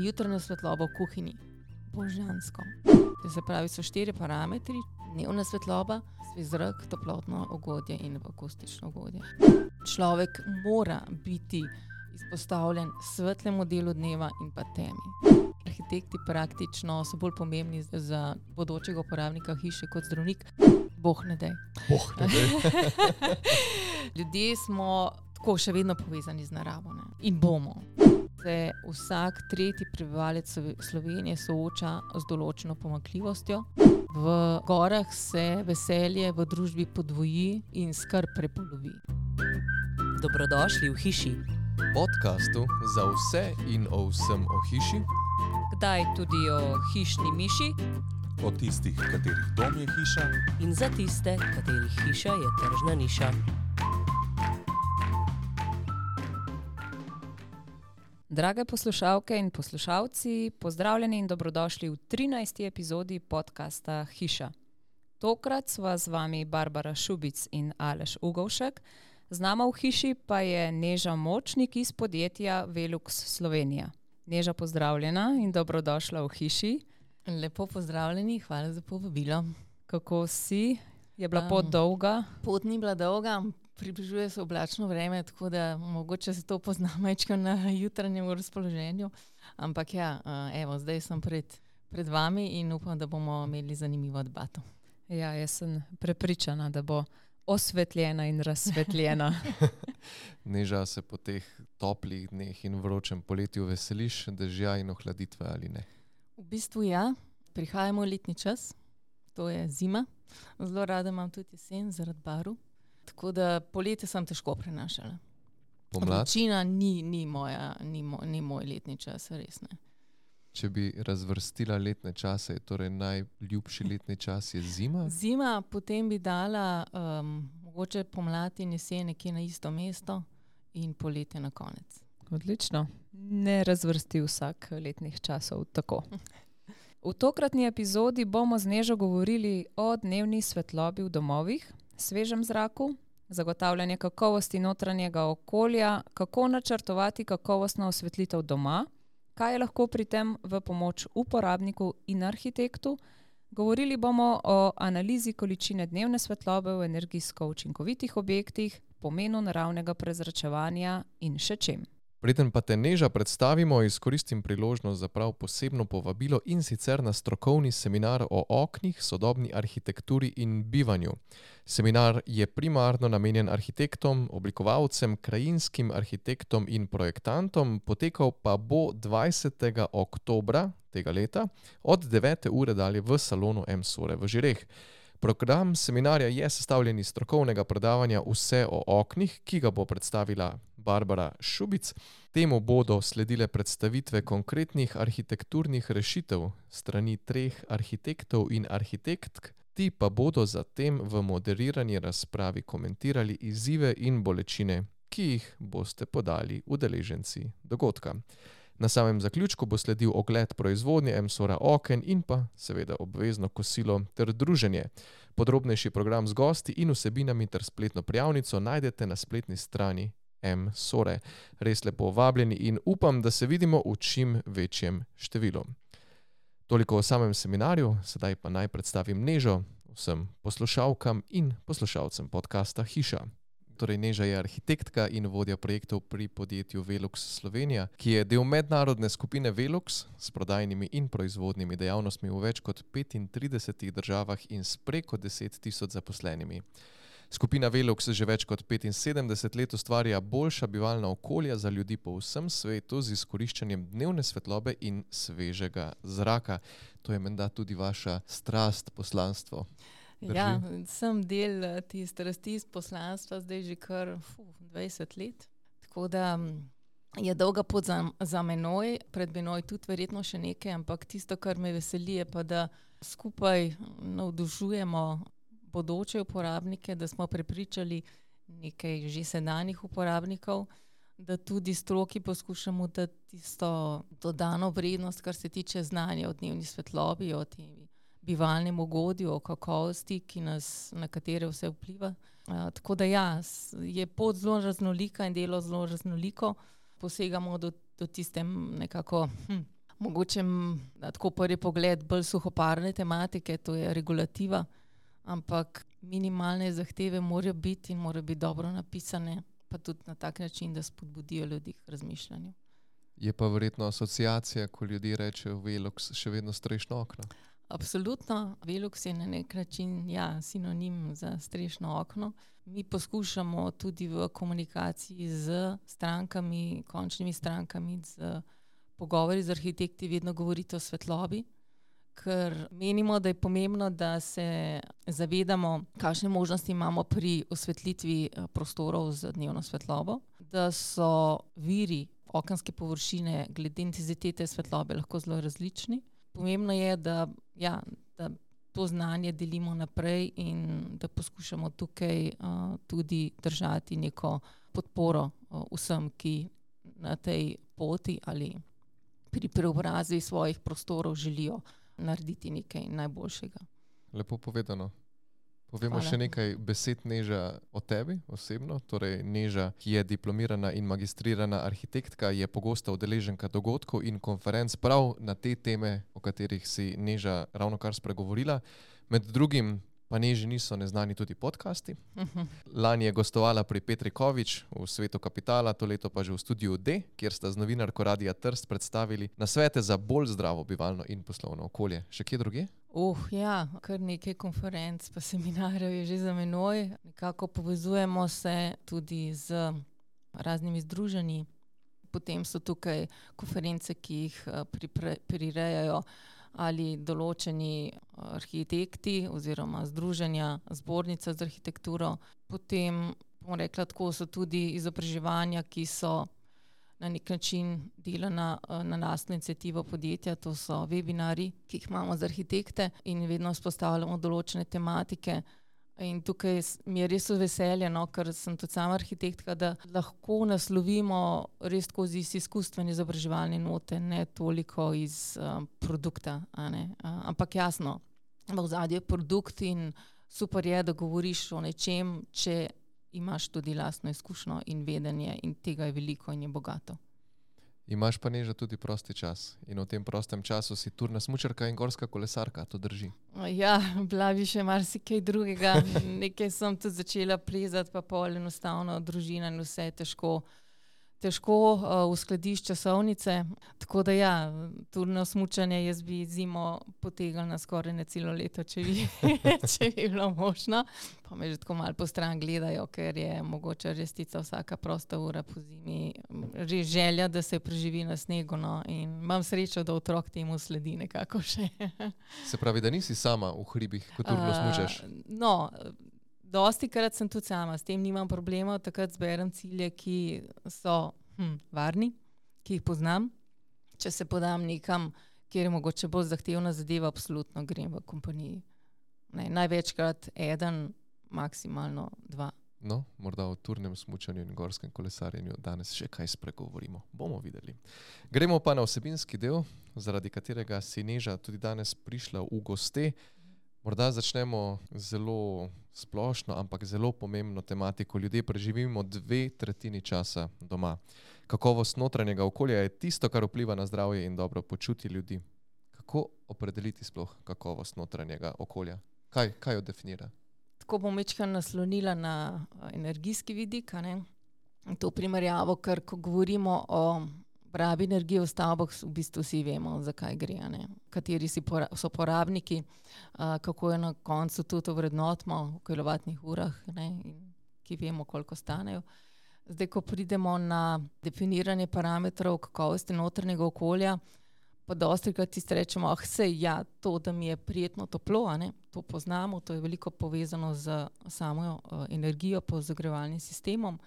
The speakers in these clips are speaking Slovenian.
Jutranja svetloba v kuhinji, božansko. To se pravi, so 4 parametri: dnevna svetloba, svež zrak, toplotno ugodje in akustično ugodje. Človek mora biti izpostavljen svetlemu delu dneva in pa temi. Arhitekti praktično so bolj pomembni za bodočega uporabnika hiše kot zdravnik. Bog ne daj. Ljudje smo tako še vedno povezani z naravo, ne? In bomo. Se vsak tretji prebivalec Slovenije sooča z določeno pomanjkljivostjo. V gorah se veselje v družbi podvoji in skrb prepolovi. Dobrodošli v hiši. Podcastu za vse in o vsem o hiši. Kdaj tudi o hišni miši. O tistih, katerih dom je hiša. In za tiste, katerih hiša je tržna niša. Drage poslušalke in poslušalci, pozdravljeni in dobrodošli v 13. epizodi podcasta Hiša. Tokrat sva z vami Barbara Šubic in Aleš Ugovšek. Z nama v hiši pa je Neža Močnik iz podjetja Velux Slovenija. Neža, pozdravljena in dobrodošla v hiši. Lepo pozdravljeni, hvala za povabilo. Kako si? Je bila pot dolga? Pot ni bila dolga, približuje se oblačno vreme, tako da mogoče se to pozna majčko na jutranjem razpoloženju. Ampak ja, evo, zdaj sem pred vami in upam, da bomo imeli zanimivo debato. Ja, jaz sem prepričana, da bo osvetljena in razsvetljena. Neža, se po teh toplih dneh in vročem poletju veseliš dežja in ohladitve ali ne? V bistvu ja, prihajamo letni čas, to je zima. Zelo rada imam tudi jesen zaradi baru. Tako da poletje sem težko prenašala. Pomlad? Vročina ni moj letni čas, res ne. Če bi razvrstila letne čase, je torej najljubši letni čas je zima? Zima, potem bi dala mogoče pomlad in jesen nekje na isto mesto in poletje na konec. Odlično. Ne razvrsti vsak letnih časov tako. V tokratni epizodi bomo z Nežo govorili o dnevni svetlobi v domovih, svežem zraku, zagotavljanje kakovosti notranjega okolja, kako načrtovati kakovostno osvetlitev doma, kaj je lahko pri tem v pomoč uporabniku in arhitektu. Govorili bomo o analizi količine dnevne svetlobe v energijsko učinkovitih objektih, pomenu naravnega prezračevanja in še čem. Preden pa te, Neža, predstavimo, izkoristim priložnost za prav posebno povabilo in sicer na strokovni seminar o oknih, sodobni arhitekturi in bivanju. Seminar je primarno namenjen arhitektom, oblikovalcem, krajinskim arhitektom in projektantom, potekal pa bo 20. oktobra tega leta od 9. ure dalje v salonu M-Sore v Žireh. Program seminarja je sestavljen iz strokovnega predavanja Vse o oknih, ki ga bo predstavila Barbara Šubic. Temu bodo sledile predstavitve konkretnih arhitekturnih rešitev strani 3 arhitektov in arhitektk. Ti pa bodo zatem v moderirani razpravi komentirali izzive in bolečine, ki jih boste podali udeleženci dogodka. Na samem zaključku bo sledil ogled proizvodnje M-Sora oken in pa seveda obvezno kosilo ter druženje. Podrobnejši program z gosti in vsebinami ter spletno prijavnico najdete na spletni strani M-Sore. Res lepo vabljeni in upam, da se vidimo v čim večjem številu. Toliko o samem seminarju, sedaj pa naj predstavim Nežo vsem poslušalkam in poslušalcem podcasta Hiša. Torej, Neža je arhitektka in vodja projektov pri podjetju Velux Slovenija, ki je del mednarodne skupine Velux s prodajnimi in proizvodnimi dejavnostmi v več kot 35 državah in s preko 10 tisoč zaposlenimi. Skupina Velux že več kot 75 let ustvarja boljša bivalna okolja za ljudi po vsem svetu z izkoriščanjem dnevne svetlobe in svežega zraka. To je menda tudi vaša strast, poslanstvo. Drži? Ja, sem del te strasti iz poslanstva zdaj že kar 20 let. Tako da je dolga pot za menoj, pred menoj tudi verjetno še nekaj, ampak tisto, kar me veseli, je pa, da skupaj navdušujemo bodoče uporabnike, da smo prepričali nekaj že sedanjih uporabnikov, da tudi stroki poskušamo dati tisto dodano vrednost, kar se tiče znanja o dnevni svetlobi, o tem bivalnem ugodju, o kakovosti, na katere vse vpliva. Tako da ja, je pot zelo raznolika in delo zelo raznoliko. Posegamo do tiste nekako mogoče na tako prvi pogled bolj suhoparne tematike, to je regulativa, ampak minimalne zahteve morajo biti in morajo biti dobro napisane, pa tudi na tak način, da spodbudijo ljudi k razmišljanju. Je pa verjetno asociacija, ko ljudje rečejo Velux, še vedno strešno okno. Absolutno. Velux je na nek način sinonim za strešno okno. Mi poskušamo tudi v komunikaciji z strankami, končnimi strankami, z pogovori z arhitekti vedno govoriti o svetlobi, ker menimo, da je pomembno, da se zavedamo, kakšne možnosti imamo pri osvetlitvi prostorov z dnevno svetlobo, da so viri okenske površine glede intenzitete svetlobe lahko zelo različni. Pomembno je, da to znanje delimo naprej in da poskušamo tukaj tudi držati neko podporo vsem, ki na tej poti ali pri preobrazbi svojih prostorov želijo narediti nekaj najboljšega. Lepo povedano. Povemo Hvala. še nekaj besed Neža o tebi osebno. Torej Neža, ki je diplomirana in magistrirana arhitektka, je pogosta udeleženka dogodkov in konferenc prav na te teme, o katerih si Neža ravnokar spregovorila. Med drugim pa Neži niso neznani tudi podcasti. Lani je gostovala pri Petri Kovič v Svetu kapitala, to leto pa že v Studiu D, kjer sta z novinarko Radia Trst predstavili nasvete za bolj zdravo bivalno in poslovno okolje. Še kje drugje? Kar nekaj konferenc pa seminarjev je že za menoj. Nekako povezujemo se tudi z raznimi združenji. Potem so tukaj konference, ki jih prirejajo ali določeni arhitekti oziroma združenja, zbornica z arhitekturo. Potem, bom rekla tako, so tudi izobraževanja, ki so na nek način delana na lastno iniciativo podjetja, to so webinari, ki jih imamo za arhitekte in vedno vzpostavljamo določene tematike. In tukaj mi je res veselje, ker sem tudi sama arhitektka, da lahko naslovimo res skozi izkustvene izobraževalne note, ne toliko iz produkta. Ampak jasno, v ozadju je produkt in super je, da govoriš o nečem, če imaš tudi lastno izkušnjo in vedenje in tega je veliko in je bogato. Imaš pa Neža tudi prosti čas in v tem prostem času si turna smučarka in gorska kolesarka, to drži? Ja, bila bi še marsikaj drugega. Nekaj sem tudi začela plezati, pa pol enostavno družina in vse težko uskladiš časovnice. Tako da turno smučanje jaz bi zimo potegnila skoraj na celo leto, če bi bilo možno. Pa me že tako malo po stran gledajo, ker je mogoče restica vsaka prosta ura po zimi. Res želja, da se preživi na snegu, in imam srečo, da otrok temu sledi nekako še. Se pravi, da nisi sama v hribih, ko turno smučaš? Dostikrat sem tudi sama, s tem nimam problema, takrat zberem cilje, ki so varni, ki jih poznam. Če se podam nekam, kjer je mogoče bolj zahtevna zadeva, absolutno grem v kompaniji. Največkrat 1, maksimalno 2. No, morda o turnem smučanju in gorskem kolesarjenju danes še kaj spregovorimo. Bomo videli. Gremo pa na vsebinski del, zaradi katerega si Neža tudi danes prišla v goste. Morda začnemo zelo splošno, ampak zelo pomembno tematiko. Ljudje preživimo 2/3 časa doma. Kakovost notranjega okolja je tisto, kar vpliva na zdravje in dobro počutje ljudi. Kako opredeliti sploh kakovost notranjega okolja? Kaj jo definira? Tako bom večkrat naslonila na energijski vidik, to primerjavo, ker ko govorimo o rabi energije v stavbah, v bistvu vsi vemo, zakaj gre, kateri so porabniki, kako je na koncu tudi ovrednotimo v kilovatnih urah, in ki vemo, koliko stanejo. Zdaj, ko pridemo na definiranje parametrov kakovosti notranjega okolja, pa dostikrat tisti rečemo, to, da mi je prijetno toplo, to poznamo, to je veliko povezano z samo energijo, pa zagrevalnim sistemom,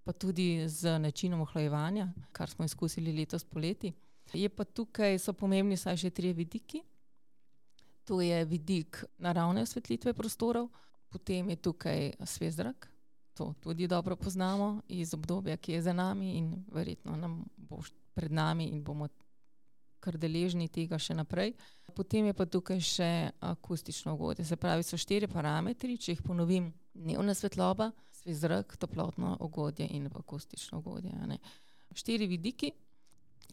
pa tudi z načinom ohlajevanja, kar smo izkusili letos poleti. Je pa tukaj, so pomembni vsaj še 3 vidiki. To je vidik naravne osvetlitve prostorov, potem je tukaj svež zrak, to tudi dobro poznamo iz obdobja, ki je za nami in verjetno nam bo pred nami in bomo kar deležni tega še naprej. Potem je pa tukaj še akustično ugodje. Se pravi, so 4 parametri, če jih ponovim, dnevna svetloba, svež zrak, toplotno ugodje in akustično ugodje. 4 vidiki.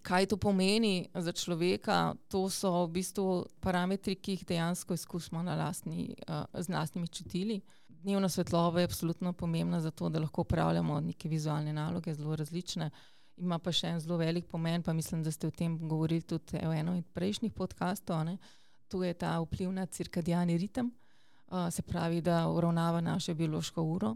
kaj to pomeni za človeka, to so v bistvu parametri, ki jih dejansko izkusimo z lastnimi čutili. Dnevna svetloba je absolutno pomembna za to, da lahko upravljamo neke vizualne naloge, zelo različne. Ima pa še en zelo velik pomen, pa mislim, da ste o tem govorili tudi v enem od prejšnjih podkastov, ne. To je ta vpliv na cirkadiani ritem, se pravi, da uravnava našo biološko uro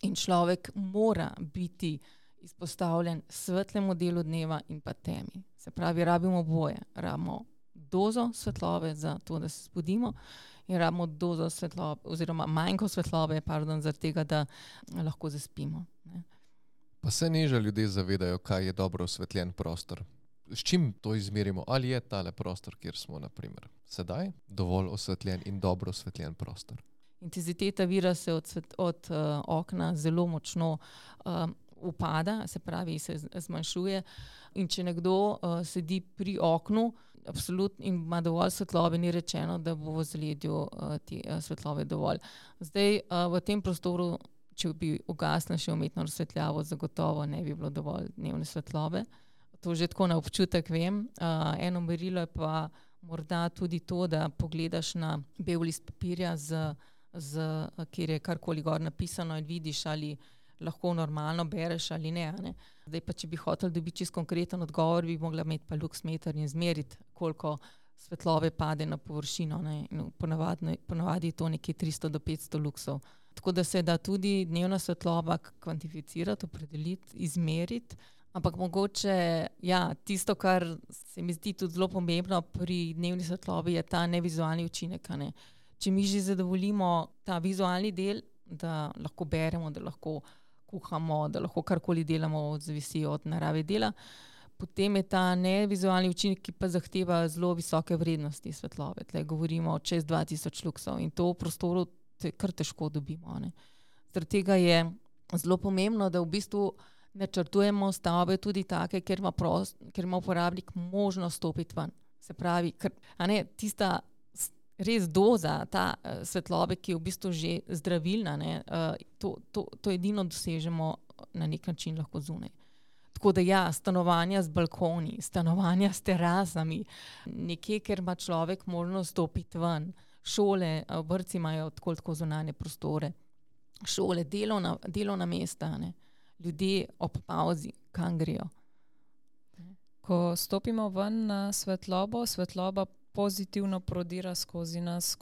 in človek mora biti izpostavljen svetlemu delu dneva in pa temi. Se pravi, rabimo oboje. Rabimo dozo svetlobe za to, da se zbudimo in rabimo dozo svetlobe oziroma manjko svetlobe, zaradi tega, da lahko zaspimo. Ne. Pa se Neža ljudje zavedajo, kaj je dobro osvetljen prostor? S čim to izmerimo? Ali je tale prostor, kjer smo, na primer, sedaj dovolj osvetljen in dobro osvetljen prostor? Intenziteta vira se od okna zelo močno upada, se pravi, se zmanjšuje. In če nekdo sedi pri oknu absolutno in ima dovolj svetlobe, ni rečeno, da bo v zaledju te svetlobe dovolj. Zdaj, v tem prostoru, če bi ugasnil še umetno razsvetljavo, zagotovo ne bi bilo dovolj dnevne svetlobe. To že tako na občutek vem. Eno merilo je pa morda tudi to, da pogledaš na bel list papirja, kjer je karkoli gor napisano in vidiš, ali lahko normalno bereš ali ne, ne. Zdaj pa, če bi hotel dobiti čisto konkreten odgovor, bi mogla imeti pa luksmeter in zmeriti, koliko svetlobe pade na površino, ne. Ponavadi je to nekje 300 do 500 luksov. Tako da se da tudi dnevna svetloba kvantificirati, opredeliti, izmeriti. Ampak mogoče, tisto, kar se mi zdi tudi zelo pomembno pri dnevni svetlobi, je ta nevizualni učinek, ne. Če mi že zadovoljimo ta vizualni del, da lahko beremo, da lahko kuhamo, da lahko karkoli delamo, zavisi od narave dela, potem je ta nevizualni učinek, ki pa zahteva zelo visoke vrednosti svetlobe. Tle govorimo čez 2000 luksov in to v prostoru kar težko dobimo, ne. Zaradi tega je zelo pomembno, da v bistvu načrtujemo stavbe tudi take, kjer ima uporabnik možnost stopiti ven. Se pravi, tista res doza, ta svetlobe, ki je v bistvu že zdravilna, ne, to edino dosežemo na nek način lahko zunaj. Tako da stanovanja z balkoni, stanovanja s terasami, nekje, kjer ima človek možnost stopiti ven, šole, vrtci imajo tako zunanje prostore, šole, delovna mesta, ne. Ljudje ob pauzi, kam grejo. Ko stopimo ven na svetlobo, svetloba pozitivno prodira skozi nas,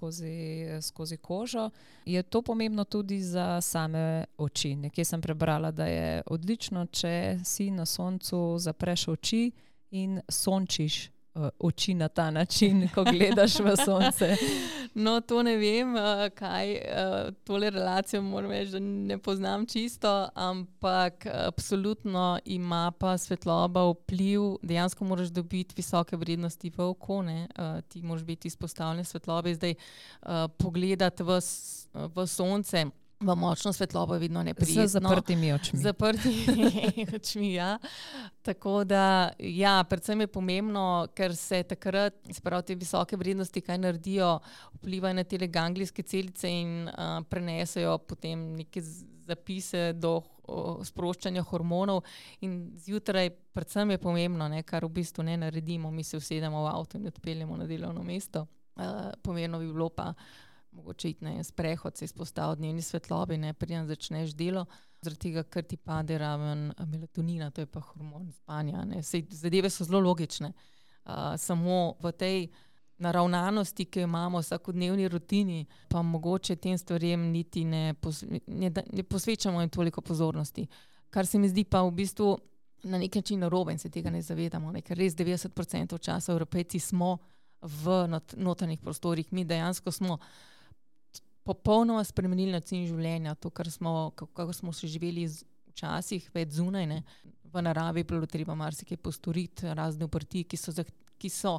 skozi kožo. Je to pomembno tudi za same oči? Nekje sem prebrala, da je odlično, če si na soncu zapreš oči in sončiš oči na ta način, ko gledaš v sonce. No, to ne vem, kaj tole relacijo moram reči, da ne poznam čisto, ampak absolutno ima pa svetloba vpliv, dejansko moraš dobiti visoke vrednosti v oko, ne, ti moraš biti izpostavljen svetlobe, zdaj pogledati v sonce, v močno svetlobo je vedno neprijetno. Z zaprtimi očmi. Z zaprtimi očmi, Tako da, predvsem je pomembno, ker se takrat, se pravi, te visoke vrednosti, kaj naredijo, vplivajo na tele ganglijske celice in prenesejo potem neke zapise do sproščanja hormonov in zjutraj predvsem je pomembno, ne, kar v bistvu ne naredimo, mi se usedemo v avto in odpeljemo na delovno mesto. Pomembno bi bilo pa mogoče iti na sprehod, se izpostaviti dnevni svetlobi, ne, preden začneš delo, zaradi tega, ker ti pade raven melatonina, to je pa hormon spanja, ne. Sej zadeve so zelo logične. Samo v tej naravnanosti, ki jo imamo v vsakodnevni rutini, pa mogoče tem stvarem niti ne posvečamo in toliko pozornosti. Kar se mi zdi pa v bistvu na nek način narobe in se tega ne zavedamo, ne, ker res 90% časa Evropejci smo v notranjih prostorih. Mi dejansko smo popolnoma spremenili način življenja, to, kako smo še živeli včasih, več zunaj, ne. V naravi bilo treba marsikaj postoriti, razne obrti, ki so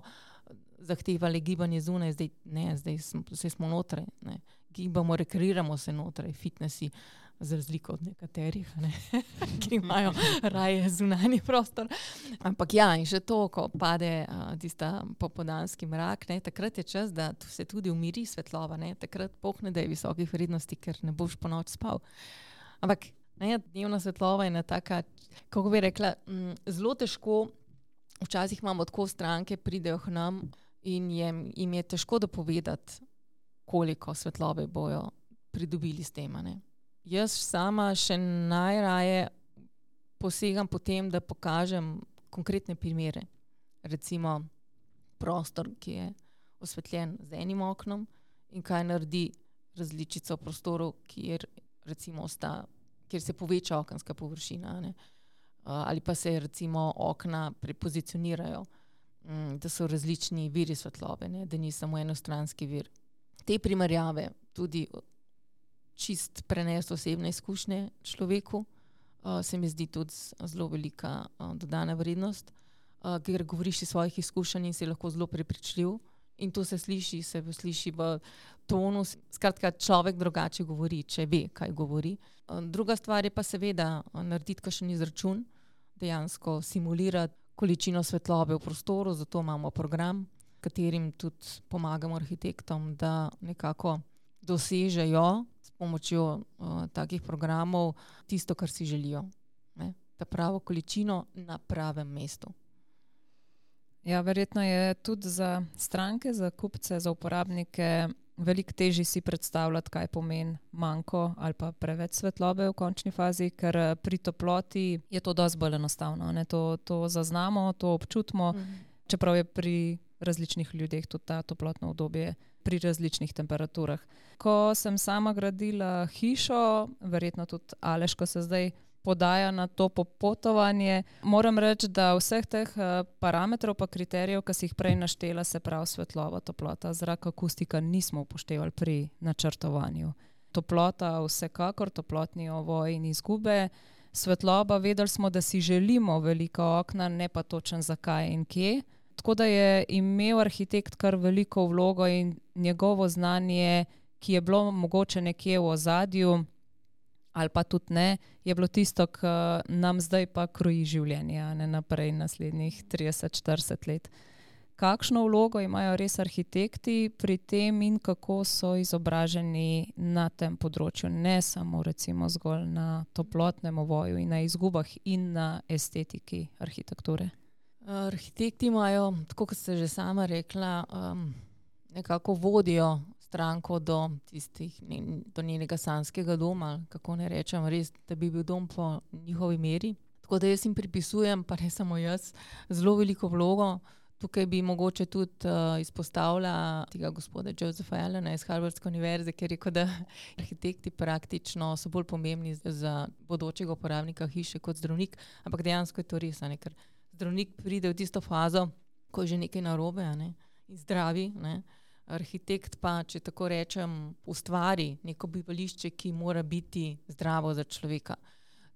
zahtevali gibanje zunaj, zdaj smo notraj, ne. Gibamo, rekreiramo se notraj, fitnessi, za razliko od nekaterih, ne, ki imajo raje zunanji prostor. Ampak in še to, ko pade tista popoldanski mrak, ne, takrat je čas, da se tudi umiri svetloba, ne, takrat pohne, da je visokih vrednosti, ker ne boš ponoči spal. Ampak dnevna svetloba je ena taka, kako bi rekla, zelo težko včasih imamo tako stranke, pridejo k nam in jim je težko dopovedati, koliko svetlobe bojo pridobili s tem. Ne. Jaz sama še najraje posegam po tem, da pokažem konkretne primere. Recimo prostor, ki je osvetljen z enim oknom in kaj naredi različico v prostoru, kjer se poveča okenska površina, ne. Ali pa se recimo okna prepozicionirajo, da so različni viri svetlobe, ne, da ni samo enostranski vir. Te primerjave tudi čist prenesti osebne izkušnje človeku, se mi zdi tudi zelo velika dodana vrednost, ker govoriš iz svojih izkušenj in si lahko zelo prepričljiv in to se sliši v tonu. Skratka, človek drugače govori, če ve, kaj govori. Druga stvar je pa seveda narediti kakšen izračun, dejansko simulirati količino svetlobe v prostoru, zato imamo program, katerim tudi pomagamo arhitektom, da nekako dosežejo s pomočjo takih programov tisto, kar si želijo. Ne? Ta pravo količino na pravem mestu. Ja, verjetno je tudi za stranke, za kupce, za uporabnike veliko težje si predstavljati, kaj pomeni manko ali pa preveč svetlobe v končni fazi, ker pri toploti je to dosti bolj enostavno. Ne? To zaznamo, to občutimo, čeprav je pri različnih ljudeh tudi ta toplotno obdobje pri različnih temperaturah. Ko sem sama gradila hišo, verjetno tudi Aleš, ko se zdaj podaja na to popotovanje, moram reči, da vseh teh parametrov pa kriterijev, ki si jih prej naštela, se pravi svetloba, toplota, zrak, akustika, nismo upoštevali pri načrtovanju. Toplota vsekakor, toplotni ovoj in izgube. Svetloba, vedeli smo, da si želimo velika okna, ne pa točen zakaj in kje. Tako da je imel arhitekt kar veliko vlogo in njegovo znanje, ki je bilo mogoče nekje v ozadju, ali pa tudi ne, je bilo tisto, ki nam zdaj pa kroji življenje, ne naprej naslednjih 30-40 let. Kakšno vlogo imajo res arhitekti pri tem in kako so izobraženi na tem področju, ne samo recimo zgolj na toplotnem ovoju in na izgubah in na estetiki arhitekture? Arhitekti imajo, tako kot ste že sama rekla, nekako vodijo stranko do njenega sanjskega doma, kako ne rečem, res, da bi bil dom po njihovi meri. Tako da jaz jim pripisujem, pa ne samo jaz, zelo veliko vlogo. Tukaj bi mogoče tudi izpostavila tega gospoda Josepha Allena iz Harvardske univerze, ki je rekel, da arhitekti praktično so bolj pomembni za bodočega uporabnika hiše kot zdravnik, ampak dejansko je to res, ne, ker zdravnik pride v tisto fazo, ko je že nekaj narobe, ne, in zdravi, ne. Arhitekt pa, če tako rečem, ustvari neko bivališče, ki mora biti zdravo za človeka.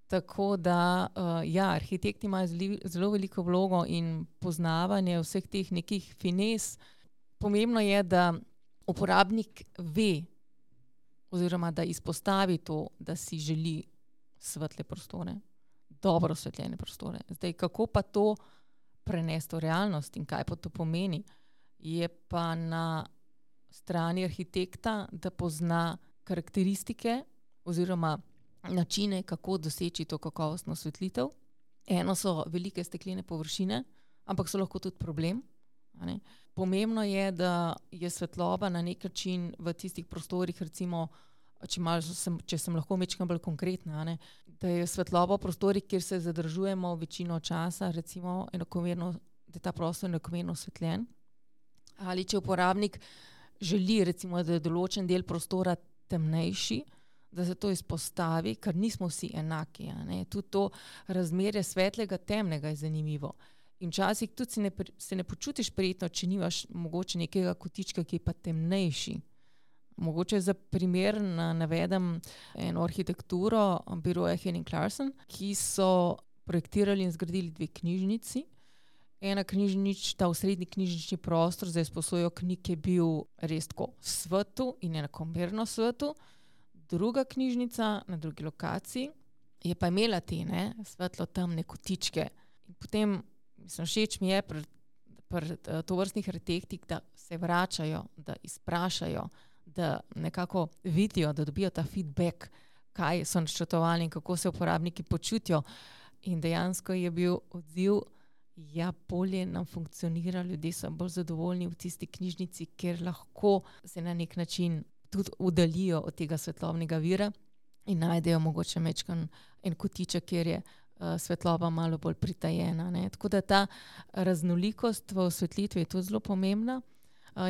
Tako da, ja, arhitekti imajo zelo veliko vlogo in poznavanje vseh teh nekih fines. Pomembno je, da uporabnik ve oziroma da izpostavi to, da si želi svetle prostore, dobro osvetljene prostore. Zdaj, kako pa to prenesti v realnost in kaj pa to pomeni, je pa na strani arhitekta, da pozna karakteristike oziroma načine, kako doseči to kakovostno osvetlitev. Eno so velike steklene površine, ampak so lahko tudi problem. Ne? Pomembno je, da je svetloba na nek način v tistih prostorih, recimo, če sem lahko majčkeno bolj konkretna, ne? Da je svetloba v prostorih, kjer se zadržujemo večino časa, recimo enakomerno, da je ta prostor enakomerno osvetljen. Ali če uporabnik želi, recimo, da je določen del prostora temnejši, da se to izpostavi, ker nismo vsi enaki. Ne? Tudi to razmerje svetlega, temnega je zanimivo. In včasih tudi se ne počutiš prijetno, če nimaš mogoče nekega kotička, ki je pa temnejši. Mogoče za primer navedem eno arhitekturo biroja Henning Larsen, ki so projektirali in zgradili 2 knjižnici. Ta osrednji knjižnični prostor za izposojo knjig je bil res tako svetu in enakomerno svetu. Druga knjižnica na drugi lokaciji je pa imela te svetlo temne kotičke. In potem, všeč mi je pri tovrstnih arhitektih, da se vračajo, da izprašajo, da nekako vidijo, da dobijo ta feedback, kaj so načrtovali in kako se uporabniki počutijo. In dejansko je bil odziv ja, bolje nam funkcionira, ljudje so bolj zadovoljni v tisti knjižnici, ker lahko se na nek način tudi oddaljijo od tega svetlobnega vira in najdejo mogoče mečkan en kotiček, kjer je svetloba malo bolj pritajena. Ne. Tako da ta raznolikost v osvetlitvi je tudi zelo pomembna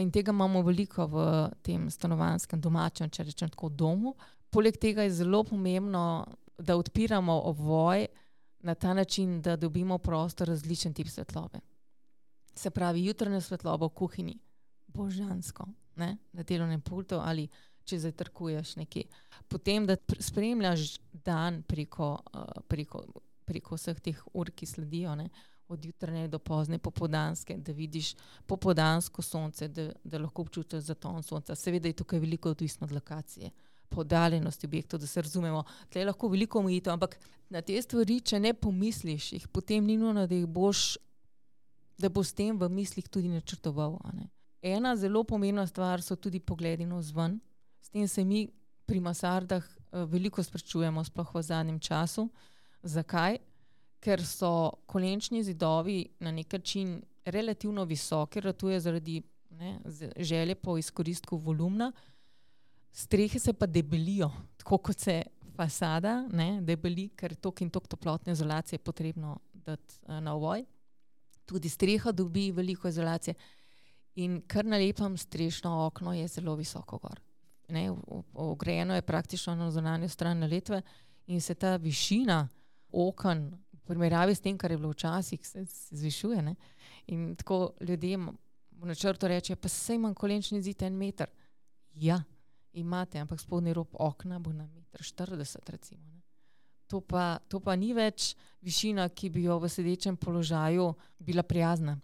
in tega imamo veliko v tem stanovanjskem domačem, če rečem tako, domu. Poleg tega je zelo pomembno, da odpiramo ovoj na ta način, da dobimo prostor različen tip svetlobe. Se pravi, jutranja svetloba v kuhinji, božansko, ne? Na delovnem pultu ali če zajtrkuješ nekje. Potem, da spremljaš dan preko vseh teh ur, ki sledijo, ne? Od jutranje do pozne popoldanske, da vidiš popoldansko sonce, da lahko občutiš zaton sonca. Seveda je tukaj veliko odvisno od lokacije, poddaljenosti objektov, da se razumemo. Tle je lahko veliko omejitev, ampak na te stvari, če ne pomisliš jih, potem ni nujno, da boš s tem v mislih tudi načrtoval. Ne? Ena zelo pomembna stvar so tudi pogledi navzven. S tem se mi pri mansardah veliko sprašujemo, sploh v zadnjem času. Zakaj? Ker so kolenčni zidovi na nek način relativno visoki, ratuje zaradi želje po izkoristku volumna, strehe se pa debelijo, tako kot se fasada debeli, ker toliko in toliko toplotne izolacije je potrebno dati na ovoj. Tudi streha dobi veliko izolacije in kar na lepem strešno okno je zelo visoko gor. Ogrejeno je praktično na zunanjo stran naletve in se ta višina oken v primerjavi s tem, kar je bilo včasih, se zvišuje. Ne? In tako ljudem v načrtu reče, pa saj imam kolenčni zid 1 meter. Ja, imate, ampak spodnji rob okna bo na 1,40 m recimo. Ne? To pa ni več višina, ki bi jo v sedečem položaju bila prijazna,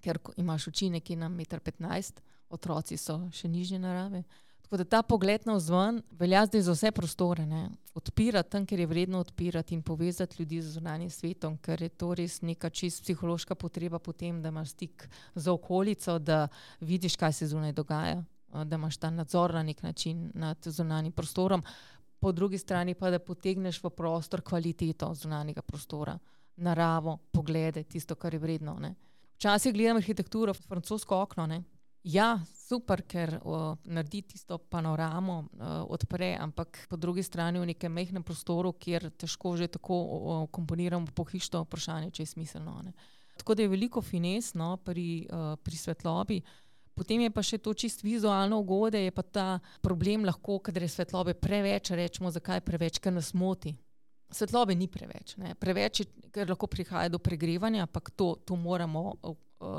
ker imaš oči nekje na 1,15 m, otroci so še nižje narave. Tako da ta pogled navzven velja zdaj za vse prostore. Ne? Odpirati tam, kjer je vredno odpirati in povezati ljudi z zunanjim svetom, ker je to res neka čisto psihološka potreba potem, da imaš stik z okolico, da vidiš, kaj se zunaj dogaja, da imaš ta nadzor na nek način nad zunanjim prostorom. Po drugi strani pa, da potegneš v prostor kvaliteto zunanjega prostora, naravo, poglede, tisto, kar je vredno. Ne? Včasih gledam arhitekturo, francosko okno, ne? Ja, super, ker naredi tisto panoramo, odpre, ampak po drugi strani v nekem majhnem prostoru, kjer težko že tako komponiramo pohištvo vprašanje, če je smiselno. Ne? Tako da je veliko fines pri svetlobi. Potem je pa še to čisto vizualno ugode, je pa ta problem lahko, kadar je svetlobe preveč, rečemo, zakaj preveč, ker nas moti. Svetlobe ni preveč. Ne? Preveč je, ker lahko prihaja do pregrevanja, ampak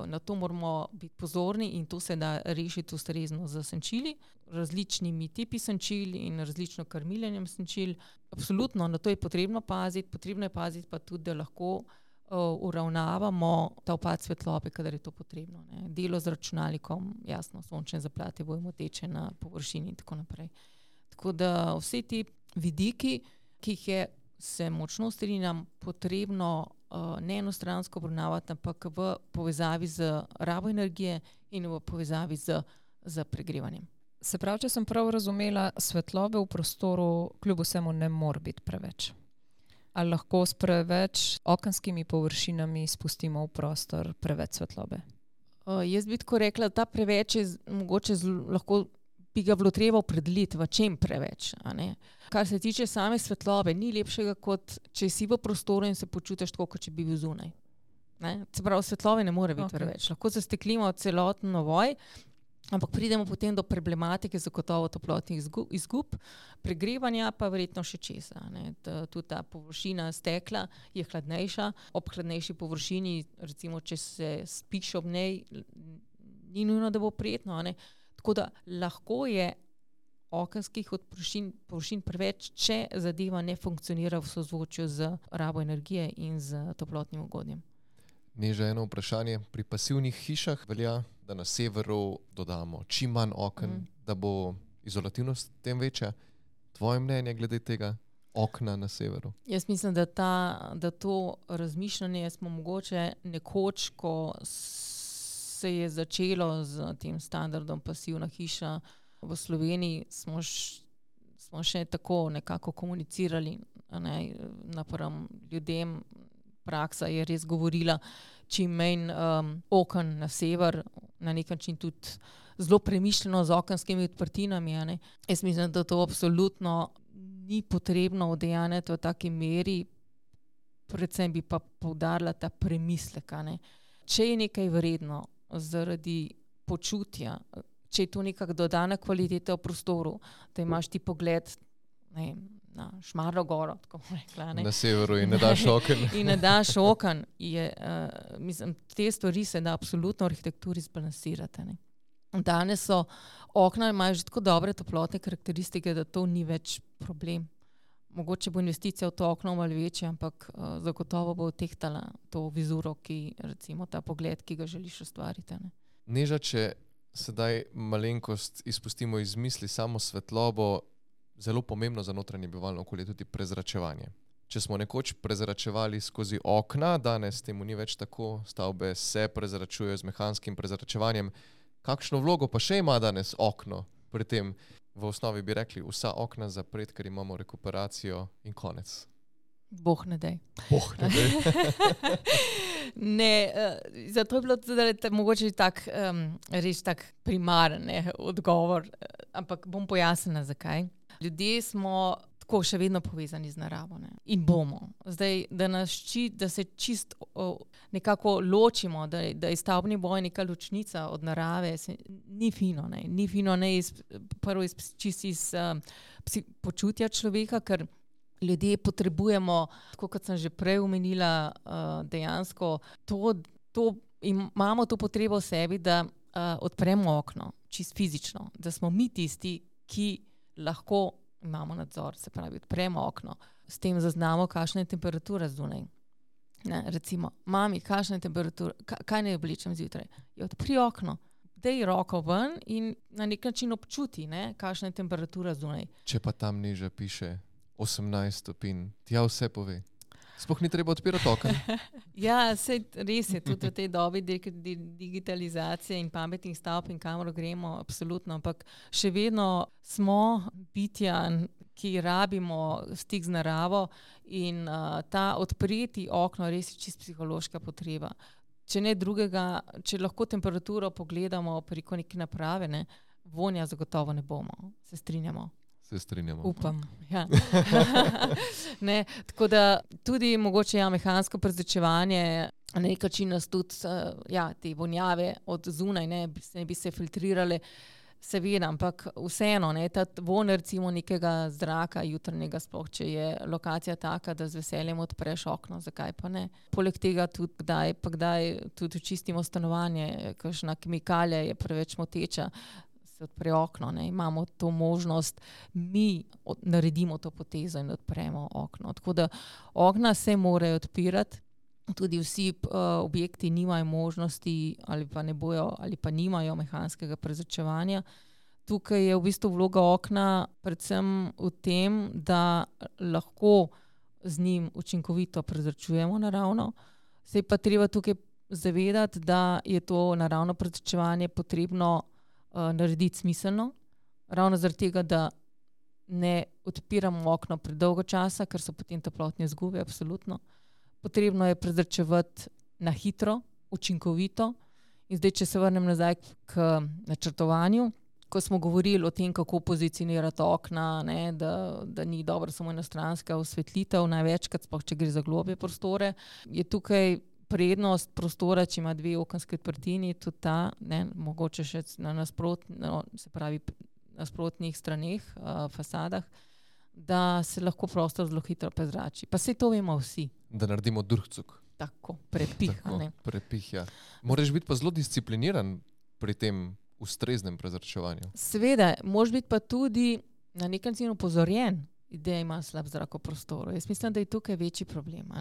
na to moramo biti pozorni in to se da rešiti ustrezno z senčili, različnimi tipi senčil in različno krmiljenjem senčil. Absolutno, na to je potrebno paziti pa tudi, da lahko uravnavamo ta upad svetlobe, kadar je to potrebno. Ne. Delo z računalnikom, jasno, sončne zaplate bojo moteče na površini in tako naprej. Tako da vsi ti vidiki, ki jih je, se močno strinjam, potrebno ne enostransko obravnavati, ampak v povezavi z rabo energije in v povezavi z pregrevanjem. Se pravi, če sem prav razumela, svetlobe v prostoru kljub vsemu ne more biti preveč. Ali lahko s preveč okenskimi površinami spustimo v prostor preveč svetlobe? Jaz bi tako rekla, da ta preveč je mogoče lahko bi ga bilo treba opredeliti, v čem preveč. A ne? Kar se tiče same svetlobe, ni lepšega, kot če si v prostoru in se počutiš tako, kot če bi bil zunaj. Ne? Se pravi, svetlobe ne more biti preveč. Lahko zasteklimo celoten ovoj, ampak pridemo potem do problematike zagotovo toplotnih izgub, pregrevanja pa verjetno še česa. Tudi ta površina stekla je hladnejša, ob hladnejši površini, recimo, če se spiš ob njej, ni nujno, da bo prijetno. Ne? Tako da lahko je okenskih površin preveč, če zadeva ne funkcionira v sozvočju z rabo energije in z toplotnim ugodjem. Neža, eno vprašanje. Pri pasivnih hišah velja, da na severu dodamo čim manj oken, da bo izolativnost tem večja. Tvoje mnenje glede tega okna na severu? Jaz mislim, da to razmišljanje smo mogoče nekoč, ko se je začelo z tem standardom pasivna hiša v Sloveniji, smo še tako nekako komunicirali napram ljudem, praksa je res govorila čim manj oken na sever, na nek način tudi zelo premišljeno z okenskimi odprtinami. Ne. Jaz mislim, da to absolutno ni potrebno udejanjati v taki meri, predvsem bi pa poudarila ta premislek. Ne. Če je nekaj vredno zaradi počutja, če je to nekak dodana kvaliteta v prostoru, da imaš ti pogled na Šmarno goro, tako bom rekla. Ne. Na severu in ne daš oken. In ne daš oken. Mislim, te stvari se da absolutno v arhitekturi zbalansirati. Ne. Danes so okna, imajo že tako dobre toplotne karakteristike, da to ni več problem. Mogoče bo investicija v to okno malo večja, ampak zagotovo bo tehtala to vizuro, recimo ta pogled, ki ga želiš ustvariti. Ne. Neža, če sedaj malenkost izpustimo iz misli samo svetlobo, zelo pomembno za notranje bivalno okolje tudi prezračevanje. Če smo nekoč prezračevali skozi okna, danes temu ni več tako, stavbe se prezračujejo z mehanskim prezračevanjem. Kakšno vlogo pa še ima danes okno pri tem? V osnovi bi rekli, vsa okna zapret, ker imamo rekuperacijo in konec. Boh ne dej. Boh ne dej. Ne, zato je bilo tudi mogoče res tak primaren odgovor, ampak bom pojasnila, zakaj. Ljudje smo tako še vedno povezani z naravo, ne? In bomo. Zdaj, da se čisto nekako ločimo, da je stavbni boj neka ločnica od narave, ni fino. Ne? Ni fino prvo čisto iz počutja človeka, ker ljudje potrebujemo, tako kot sem že prej omenila, dejansko imamo to potrebo v sebi, da odpremo okno, čisto fizično, da smo mi tisti, ki lahko imamo nadzor, se pravi, odpremo okno, s tem zaznamo, kakšna je temperatura zunaj. Ne, recimo, mami, kakšna je temperatura, kaj naj oblečem zjutraj? Odpri okno, daj roko ven in na nek način občuti, kakšna je temperatura zunaj. Če pa tam nižje piše 18 stopinj, tja vse pove. Sploh ni treba odpirati oken. Ja, res je, tudi v tej dobi digitalizacije in pametnih stavb in kamor gremo, absolutno, ampak še vedno smo bitja, ki rabimo stik z naravo in ta odpreti okno res je čisto psihološka potreba. Če ne drugega, če lahko temperaturo pogledamo preko neke naprave, vonja zagotovo ne bomo, se strinjamo. Se strinjamo. Upam, ja. Tako da tudi mogoče mehansko prezračevanje na nek način nas tudi te vonjave od zunaj ne bi se filtrirale, seveda, ampak vseeno, ta von recimo nekega zraka jutrnjega, sploh če je lokacija taka, da z veseljem odpreš okno, zakaj pa ne. Poleg tega tudi kdaj tudi čistimo stanovanje, kakšna kemikalija je preveč moteča, se odpre okno, imamo to možnost, mi naredimo to potezo in odpremo okno. Tako da okna se morajo odpirati, tudi vsi objekti nimajo možnosti ali pa ne bojo ali pa nimajo mehanskega prezračevanja. Tukaj je v bistvu vloga okna predvsem v tem, da lahko z njim učinkovito prezračujemo naravno. Se je pa treba tukaj zavedati, da je to naravno prezračevanje potrebno narediti smiselno, ravno zaradi tega, da ne odpiramo okno predolgo časa, ker so potem toplotne izgube, absolutno. Potrebno je prezračevati na hitro, učinkovito. In zdaj, če se vrnem nazaj k načrtovanju, ko smo govorili o tem, kako pozicionirati okna, da ni dobro samo enostranska osvetlitev, največkrat, sploh če gre za globlje prostore, je tukaj prednost prostora, če ima dve okenski odprtini, tudi ta, mogoče še na nasprotnih straneh, fasadah, da se lahko prostor zelo hitro prezrači. Pa saj to vemo vsi. Da naredimo durhcuk. Tako, prepih. Prepih, ja. Moraš biti pa zelo discipliniran pri tem ustreznem prezračevanju. Seveda, moraš biti pa tudi na nek način opozorjen, da ima slab zrak v prostoru. Jaz mislim, da je tukaj večji problem.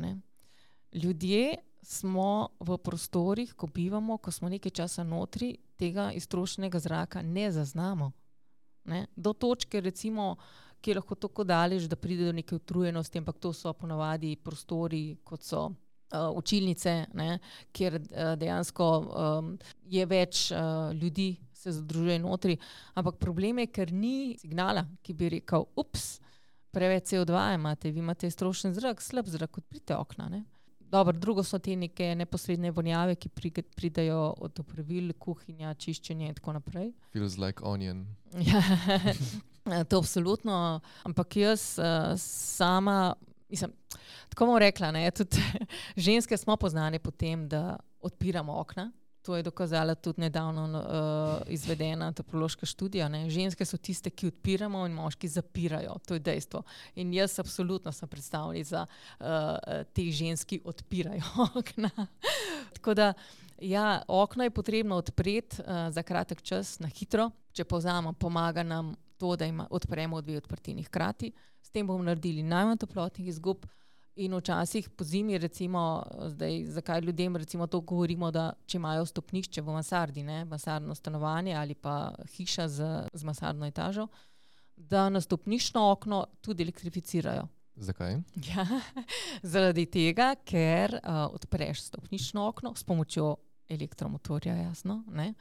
Ljudje smo v prostorih, ko bivamo, ko smo nekaj časa notri, tega iztrošenega zraka ne zaznamo. Do točke, recimo, ki je lahko tako daleč, da pride do neke utrujenosti, ampak to so ponavadi prostori, kot so učilnice, kjer dejansko je več ljudi, se združuje notri. Ampak problem je, ker ni signala, ki bi rekel, preveč CO2 imate, vi imate iztrošen zrak, slab zrak, odprite okna. Dobro, drugo so te neke neposredne vonjave, ki pridajo od opravil, kuhinja, čiščenje in tako naprej. Feels like onion. Ja, to absolutno, ampak jaz sama, mislim, tako bom rekla, ne, tudi ženske smo poznane po tem, da odpiramo okna. To je dokazala tudi nedavno izvedena antropološka študija. Ne. Ženske so tiste, ki odpiramo in moški zapirajo. To je dejstvo. In jaz absolutno sem predstavnica te ženski odpirajo okna. Tako da, ja, okno je potrebno odpreti za kratek čas, na hitro. Če povzamem, pomaga nam to, da odpremo 2 odprtini hkrati. S tem bomo naredili najmanj toplotnih izgub. In včasih po zimi, recimo, zdaj, zakaj ljudem recimo to govorimo, da če imajo stopnišče v mansardi, ne, mansardno stanovanje ali pa hiša z mansardno etažo, da na stopniščno okno tudi elektrificirajo. Zakaj? Ja, zaradi tega, ker odpreš stopniščno okno s pomočjo elektromotorja, jasno, ne,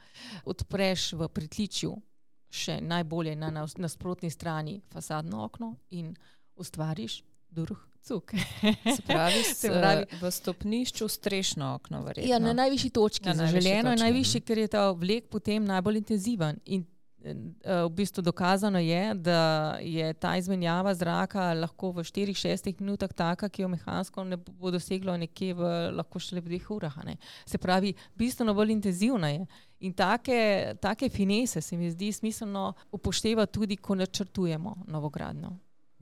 odpreš v pritličju še najbolje na nasprotni strani fasadno okno in ustvariš duh cuk. Se pravi, v stopnišču strešno okno, verjetno. Ja, na najvišji točki. Zaželeno je najvišji, ker je ta vlek potem najbolj intenziven. In v bistvu dokazano je, da je ta izmenjava zraka lahko v 4-6 minutah taka, ki jo mehansko ne bo doseglo nekje lahko šele v 2 urah. Ne. Se pravi, bistveno bolj intenzivna je. In take finese se mi zdi smiselno upoštevati tudi, ko načrtujemo novogradnjo.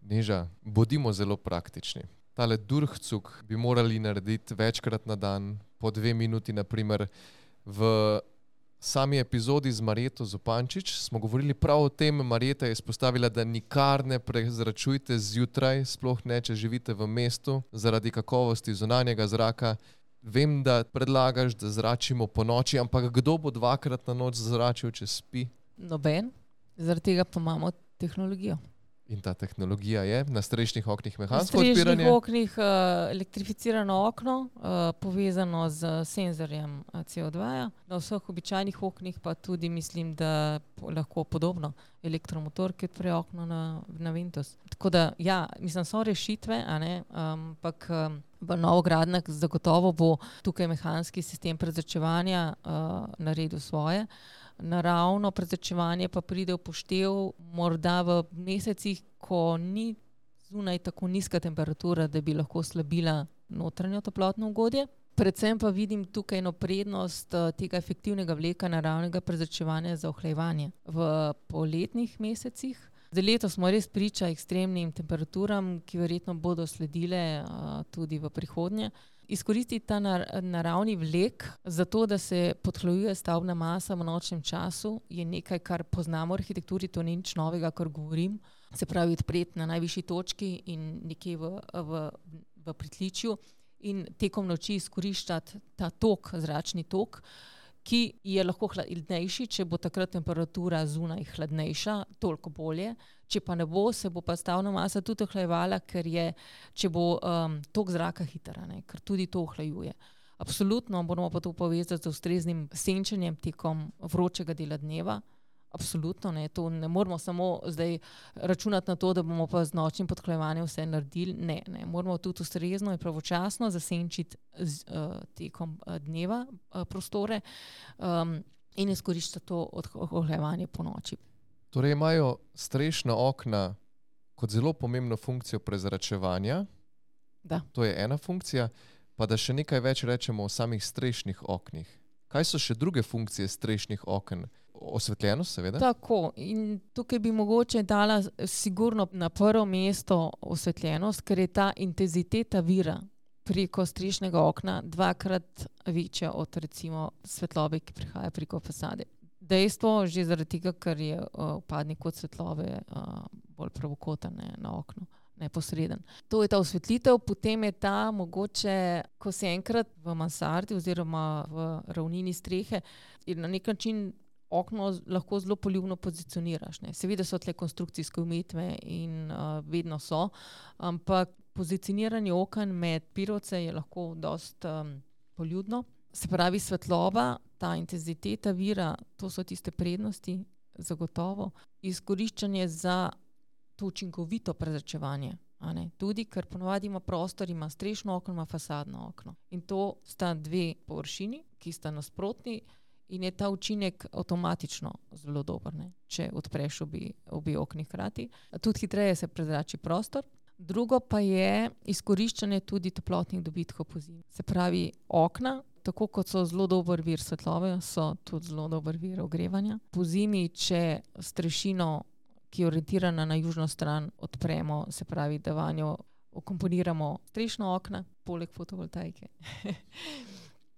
Neža, bodimo zelo praktični. Tale durhcuk bi morali narediti večkrat na dan, po 2 minuti, naprimer. V sami epizodi z Marjeto Zupančič smo govorili prav o tem. Marjeta je izpostavila, da nikar ne prezračujte zjutraj, sploh ne, če živite v mestu, zaradi kakovosti zunanjega zraka. Vem, da predlagaš, da zračimo po noči, ampak kdo bo 2-krat na noč zračil, če spi? Noben. Zaradi tega pa imamo tehnologijo. In ta tehnologija je na strešnih oknih mehansko odpiranje? Na strešnih oknih elektrificirano okno, povezano z senzorjem CO2. Na vseh običajnih oknih pa tudi mislim, da lahko podobno elektromotor, ki odpre okno na Windows. Tako da, ja, mislim, so rešitve, a ne, ampak v novogradnjah zagotovo bo tukaj mehanski sistem prezračevanja naredil svoje. Naravno prezračevanje pa pride v poštev morda v mesecih, ko ni zunaj tako nizka temperatura, da bi lahko slabila notranjo toplotno ugodje. Predvsem pa vidim tukaj eno prednost tega efektivnega vleka naravnega prezračevanja za ohlajevanje v poletnih mesecih. Za leto smo res priča ekstremnim temperaturam, ki verjetno bodo sledile tudi v prihodnje. Izkoristiti ta naravni vlek za to, da se podhlajuje stavbna masa v nočnem času, je nekaj, kar poznamo v arhitekturi, to ni nič novega, kar govorim. Se pravi, odpreti na najvišji točki in nekje v pritličju in tekom noči izkoriščati ta tok, zračni tok, ki je lahko hladnejši, če bo takrat temperatura zunaj hladnejša, toliko bolje. Če pa ne bo, se bo pa stavna masa tudi ohlajevala, če bo tok zraka hiter, ker tudi to ohlajuje. Absolutno moramo pa to povezati z ustreznim senčenjem tekom vročega dela dneva. Absolutno, ne. To ne moramo samo zdaj računati na to, da bomo pa z nočnim podhlajevanjem vse naredili. Ne. Moramo tudi ustrezno in pravočasno zasenčiti tekom dneva prostore in izkoriščati to odhlajevanje po noči. Torej imajo strešna okna kot zelo pomembno funkcijo prezračevanja. Da. To je ena funkcija. Pa da še nekaj več rečemo o samih strešnih oknih. Kaj so še druge funkcije strešnih oken? Osvetljenost, seveda. Tako. In tukaj bi mogoče dala sigurno na prvo mesto osvetljenost, ker je ta intenziteta vira preko strešnega okna 2-krat večja od recimo svetlobe, ki prihaja preko fasade. Dejstvo že zaradi tega, ker je vpadni kot svetlobe bolj pravokoten na oknu, neposreden. To je ta osvetlitev, potem je ta mogoče, ko se enkrat v mansardi oziroma v ravnini strehe in na nek način okno lahko zelo poljubno pozicioniraš. Seveda so tle konstrukcijske omejitve in vedno so, ampak pozicioniranje oken med pirovce je lahko dosti poljubno. Se pravi, svetloba, ta intenziteta vira, to so tiste prednosti, zagotovo. Izkoriščanje za to učinkovito prezračevanje. Tudi, ker ponovadi ima prostor, ima strešno okno, ima fasadno okno. In to sta dve površini, ki sta nasprotni in je ta učinek avtomatično zelo dober, ne? Če odpreš obi okni hkrati. Tudi hitreje se prezrači prostor. Drugo pa je izkoriščanje tudi toplotnih dobitkov po zimi. Se pravi, okna, tako kot so zelo dober vir svetlobe, so tudi zelo dober vir ogrevanja. Po zimi, če strešino, ki je orientirana na južno stran, odpremo, se pravi, da vanjo vkomponiramo strešna okna, poleg fotovoltaike,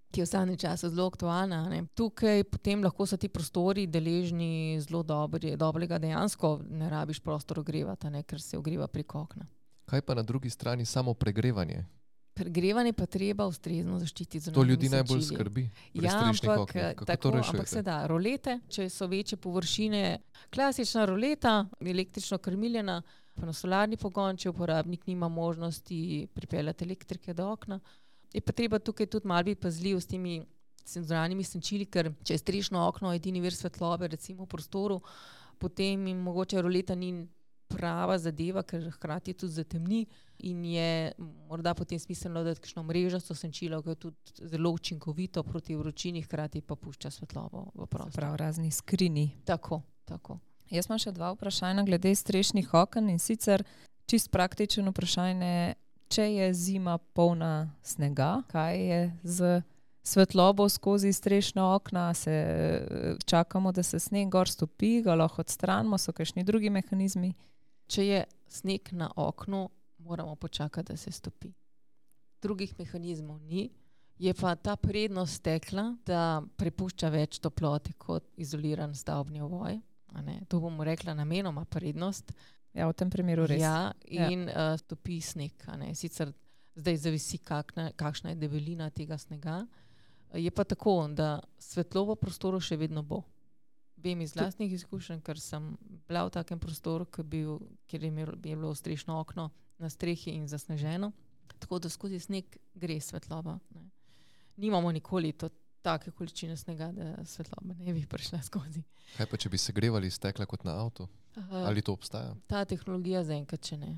ki je v zadnjem času zelo aktualna. Tukaj potem lahko so ti prostori deležni zelo dobrega, dejansko ne rabiš prostor ogrevati, ker se ogreva preko okna. Kaj pa na drugi strani samo pregrevanje? Pregrevanje pa treba ustrezno zaščititi z To ljudi najbolj skrbi pri strešnih oknih. Kako to rešujete? Ampak se da. Rolete, če so večje površine, klasična roleta, električno krmiljena, pa na solarni pogon, če uporabnik nima možnosti pripeljati elektrike do okna. Je pa treba tukaj tudi malo biti pazljiv s temi senzoralnimi senčili, ker če je strešno okno edini vir svetlobe, recimo v prostoru, potem jim mogoče roleta ni prava zadeva, ker hkrati tudi zatemni in je morda potem smiselno dati kakšno mrežasto senčilo, ki je tudi zelo učinkovito proti vročini, hkrati pa pušča svetlobo v prostor. Prav, razni skrini. Tako. Jaz imam še 2 vprašanja glede strešnih oken, in sicer čist praktično vprašanje, če je zima polna snega, kaj je z svetlobo skozi strešna okna, se čakamo, da se sneg gor stopi, ga lahko odstranimo, so kakšni drugi mehanizmi? Če je sneg na oknu, moramo počakati, da se stopi. Drugih mehanizmov ni, je pa ta prednost stekla, da prepušča več toplote kot izoliran stavbni ovoj. To bomo rekla namenoma prednost. Ja, v tem primeru res. Ja, in stopi sneg. Sicer zdaj zavisi, kakšna je debelina tega snega. Je pa tako, da svetlo v prostoru še vedno bo. Vem iz lastnih izkušenj, ker sem bila v takem prostoru, kjer je bilo strešno okno na strehi in zasneženo. Tako da skozi sneg gre svetloba. Nimamo nikoli take količine snega, da svetloba ne bi prišla skozi. Kaj pa, če bi segrevali stekla kot na avtu? Ali to obstaja? Ta tehnologija zaenkrat še ne.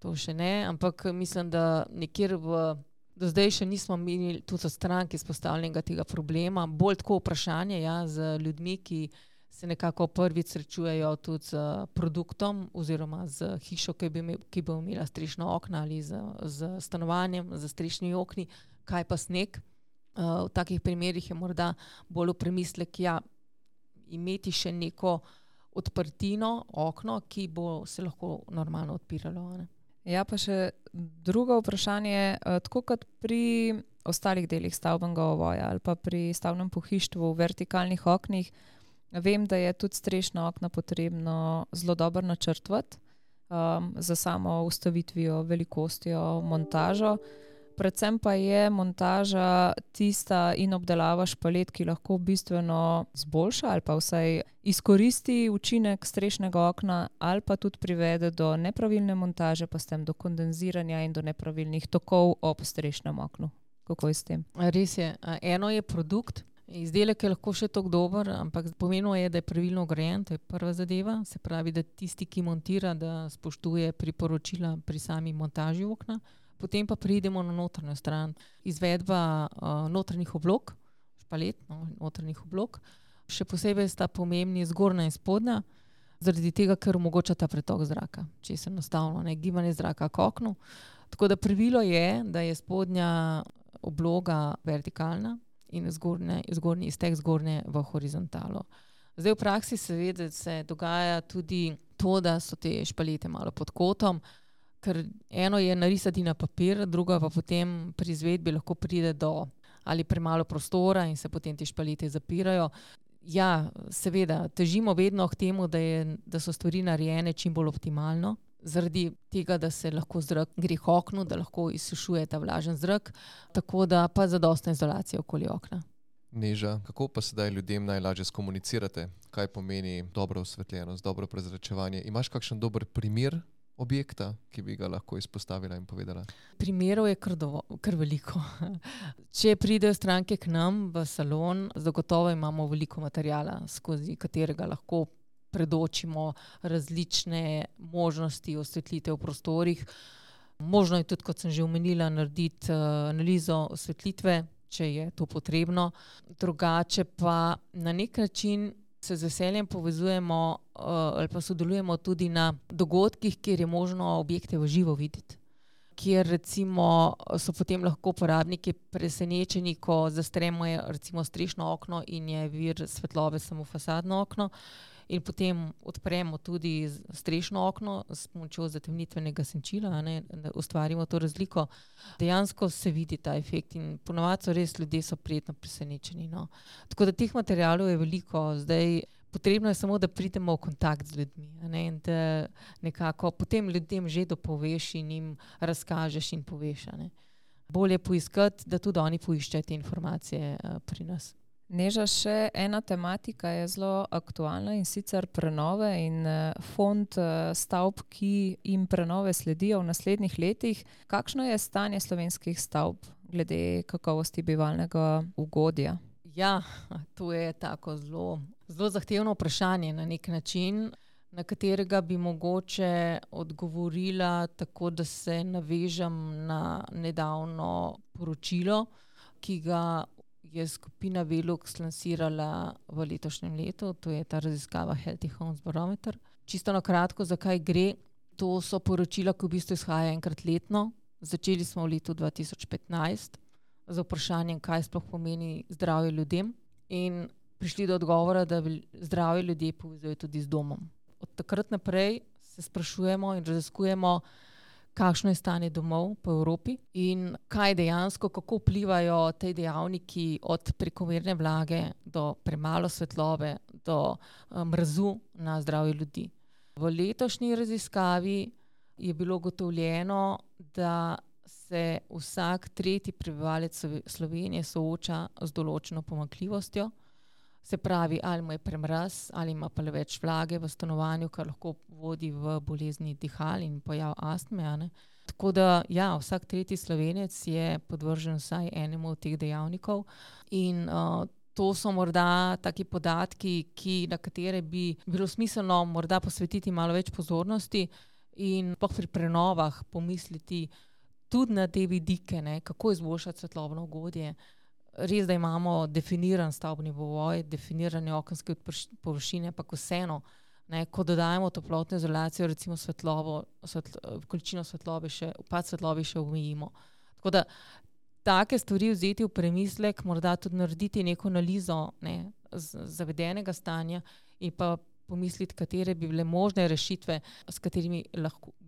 To še ne, ampak mislim, da nekjer do zdaj še nismo imeli tudi od stranke izpostavljenega tega problema. Bolj tako vprašanje z ljudmi, ki se nekako prvič srečujejo tudi z produktom oziroma z hišo, ki bo imela strešno okna ali z stanovanjem, z strešnimi okni, kaj pa sneg. V takih primerih je morda bolj v premislek, imeti še neko odprtino, okno, ki bo se lahko normalno odpiralo. Ja, pa še drugo vprašanje, tako kot pri ostalih delih stavbnega ovoja ali pa pri stavbnem pohištvu v vertikalnih oknih, vem, da je tudi strešna okna potrebno zelo dobro načrtovati za samo ustavitvijo, velikostjo, montažo. Predvsem pa je montaža tista in obdelava špalet, ki lahko bistveno zboljša ali pa vsaj izkoristi učinek strešnega okna ali pa tudi privede do nepravilne montaže, pa s tem do kondenziranja in do nepravilnih tokov ob strešnem oknu. Kako je s tem? Res je. Eno je produkt, izdelek je lahko še tako dober, ampak pomembno je, da je pravilno ograjen, to je prva zadeva. Se pravi, da tisti, ki montira, da spoštuje priporočila pri sami montaži okna. Potem pa pridemo na notranjo stran. Izvedba notranjih oblog, špalet, notranjih oblog. Še posebej sta pomembni zgornja in spodnja, zaradi tega, ker omogoča ta pretok zraka. Če se enostavno gibanje zraka k oknu. Tako da pravilo je, da je spodnja obloga vertikalna in zgornji iztek zgornje v horizontalo. Zdaj v praksi seveda se dogaja tudi to, da so te špalete malo pod kotom, ker eno je narisati na papir, drugo pa potem pri izvedbi lahko pride do ali premalo prostora in se potem te špalete zapirajo. Ja, seveda, težimo vedno k temu, da so stvari narejene čim bolj optimalno, zaradi tega, da se lahko zrak gre k oknu, da lahko izsušuje ta vlažen zrak, tako da pa zadostna izolacija okoli okna. Neža, kako pa sedaj ljudem najlažje skomunicirate? Kaj pomeni dobra osvetljenost, dobro prezračevanje? Imaš kakšen dober primer objekta, ki bi ga lahko izpostavila in povedala? Primerov je kar veliko. Če pridejo stranke k nam v salon, zagotovo imamo veliko materijala, skozi katerega lahko predočimo različne možnosti osvetlitev v prostorih. Možno je tudi, kot sem že omenila, narediti analizo osvetlitve, če je to potrebno. Drugače pa na nek način se z veseljem povezujemo ali pa sodelujemo tudi na dogodkih, kjer je možno objekte v živo videti. Kjer recimo so potem lahko uporabniki presenečeni, ko zastremo recimo strešno okno in je vir svetlobe samo fasadno okno. In potem odpremo tudi strešno okno s pomočjo zatemnitvenega senčila, da ustvarimo to razliko. Dejansko se vidi ta efekt in ponovadi so res ljudje prijetno presenečeni. No. Tako da teh materialov je veliko. Zdaj, potrebno je samo, da pridemo v kontakt z ljudmi, in da nekako potem ljudem že dopoveš in jim razkažeš in poveš. Bolje poiskati, da tudi oni poiščejo te informacije pri nas. Neža, še ena tematika je zelo aktualna in sicer prenove in fond stavb, ki jim prenove sledijo v naslednjih letih. Kakšno je stanje slovenskih stavb glede kakovosti bivalnega ugodja? Ja, to je tako zelo zahtevno vprašanje na nek način, na katerega bi mogoče odgovorila tako, da se navežem na nedavno poročilo, ki ga je skupina Velux lansirala v letošnjem letu, to je ta raziskava Healthy Homes Barometer. Čisto na kratko, zakaj gre. To so poročila, ki v bistvu izhajajo enkrat letno. Začeli smo v letu 2015 z vprašanjem, kaj sploh pomeni zdravje ljudem in prišli do odgovora, da zdravje ljudje povezujejo tudi z domom. Od takrat naprej se sprašujemo in raziskujemo, kakšno je stanje domov po Evropi in kaj dejansko, kako vplivajo te dejavniki od prekomerne vlage do premalo svetlobe, do mrazu na zdravje ljudi. V letošnji raziskavi je bilo ugotovljeno, da se vsak tretji prebivalec Slovenije sooča z določeno pomanjkljivostjo. Se pravi, ali mu je premraz, ali ima pa le več vlage v stanovanju, kar lahko vodi v bolezni dihal in pojav astme. Tako da, ja, vsak tretji Slovenec je podvržen vsaj enemu od teh dejavnikov in to so morda taki podatki, na katere bi bilo smiselno morda posvetiti malo več pozornosti in pri prenovah pomisliti tudi na te vidike, kako izboljšati svetlobno ugodje. Res, da imamo definiran stavbni povoj, definirane okenske površine, pa vseeno, ko dodajamo toplotno izolacijo, recimo količino svetlobe upad svetlobe še omejimo. Tako da take stvari vzeti v premislek, morda tudi narediti neko analizo zavedenega stanja in pa pomisliti, katere bi bile možne rešitve, s katerimi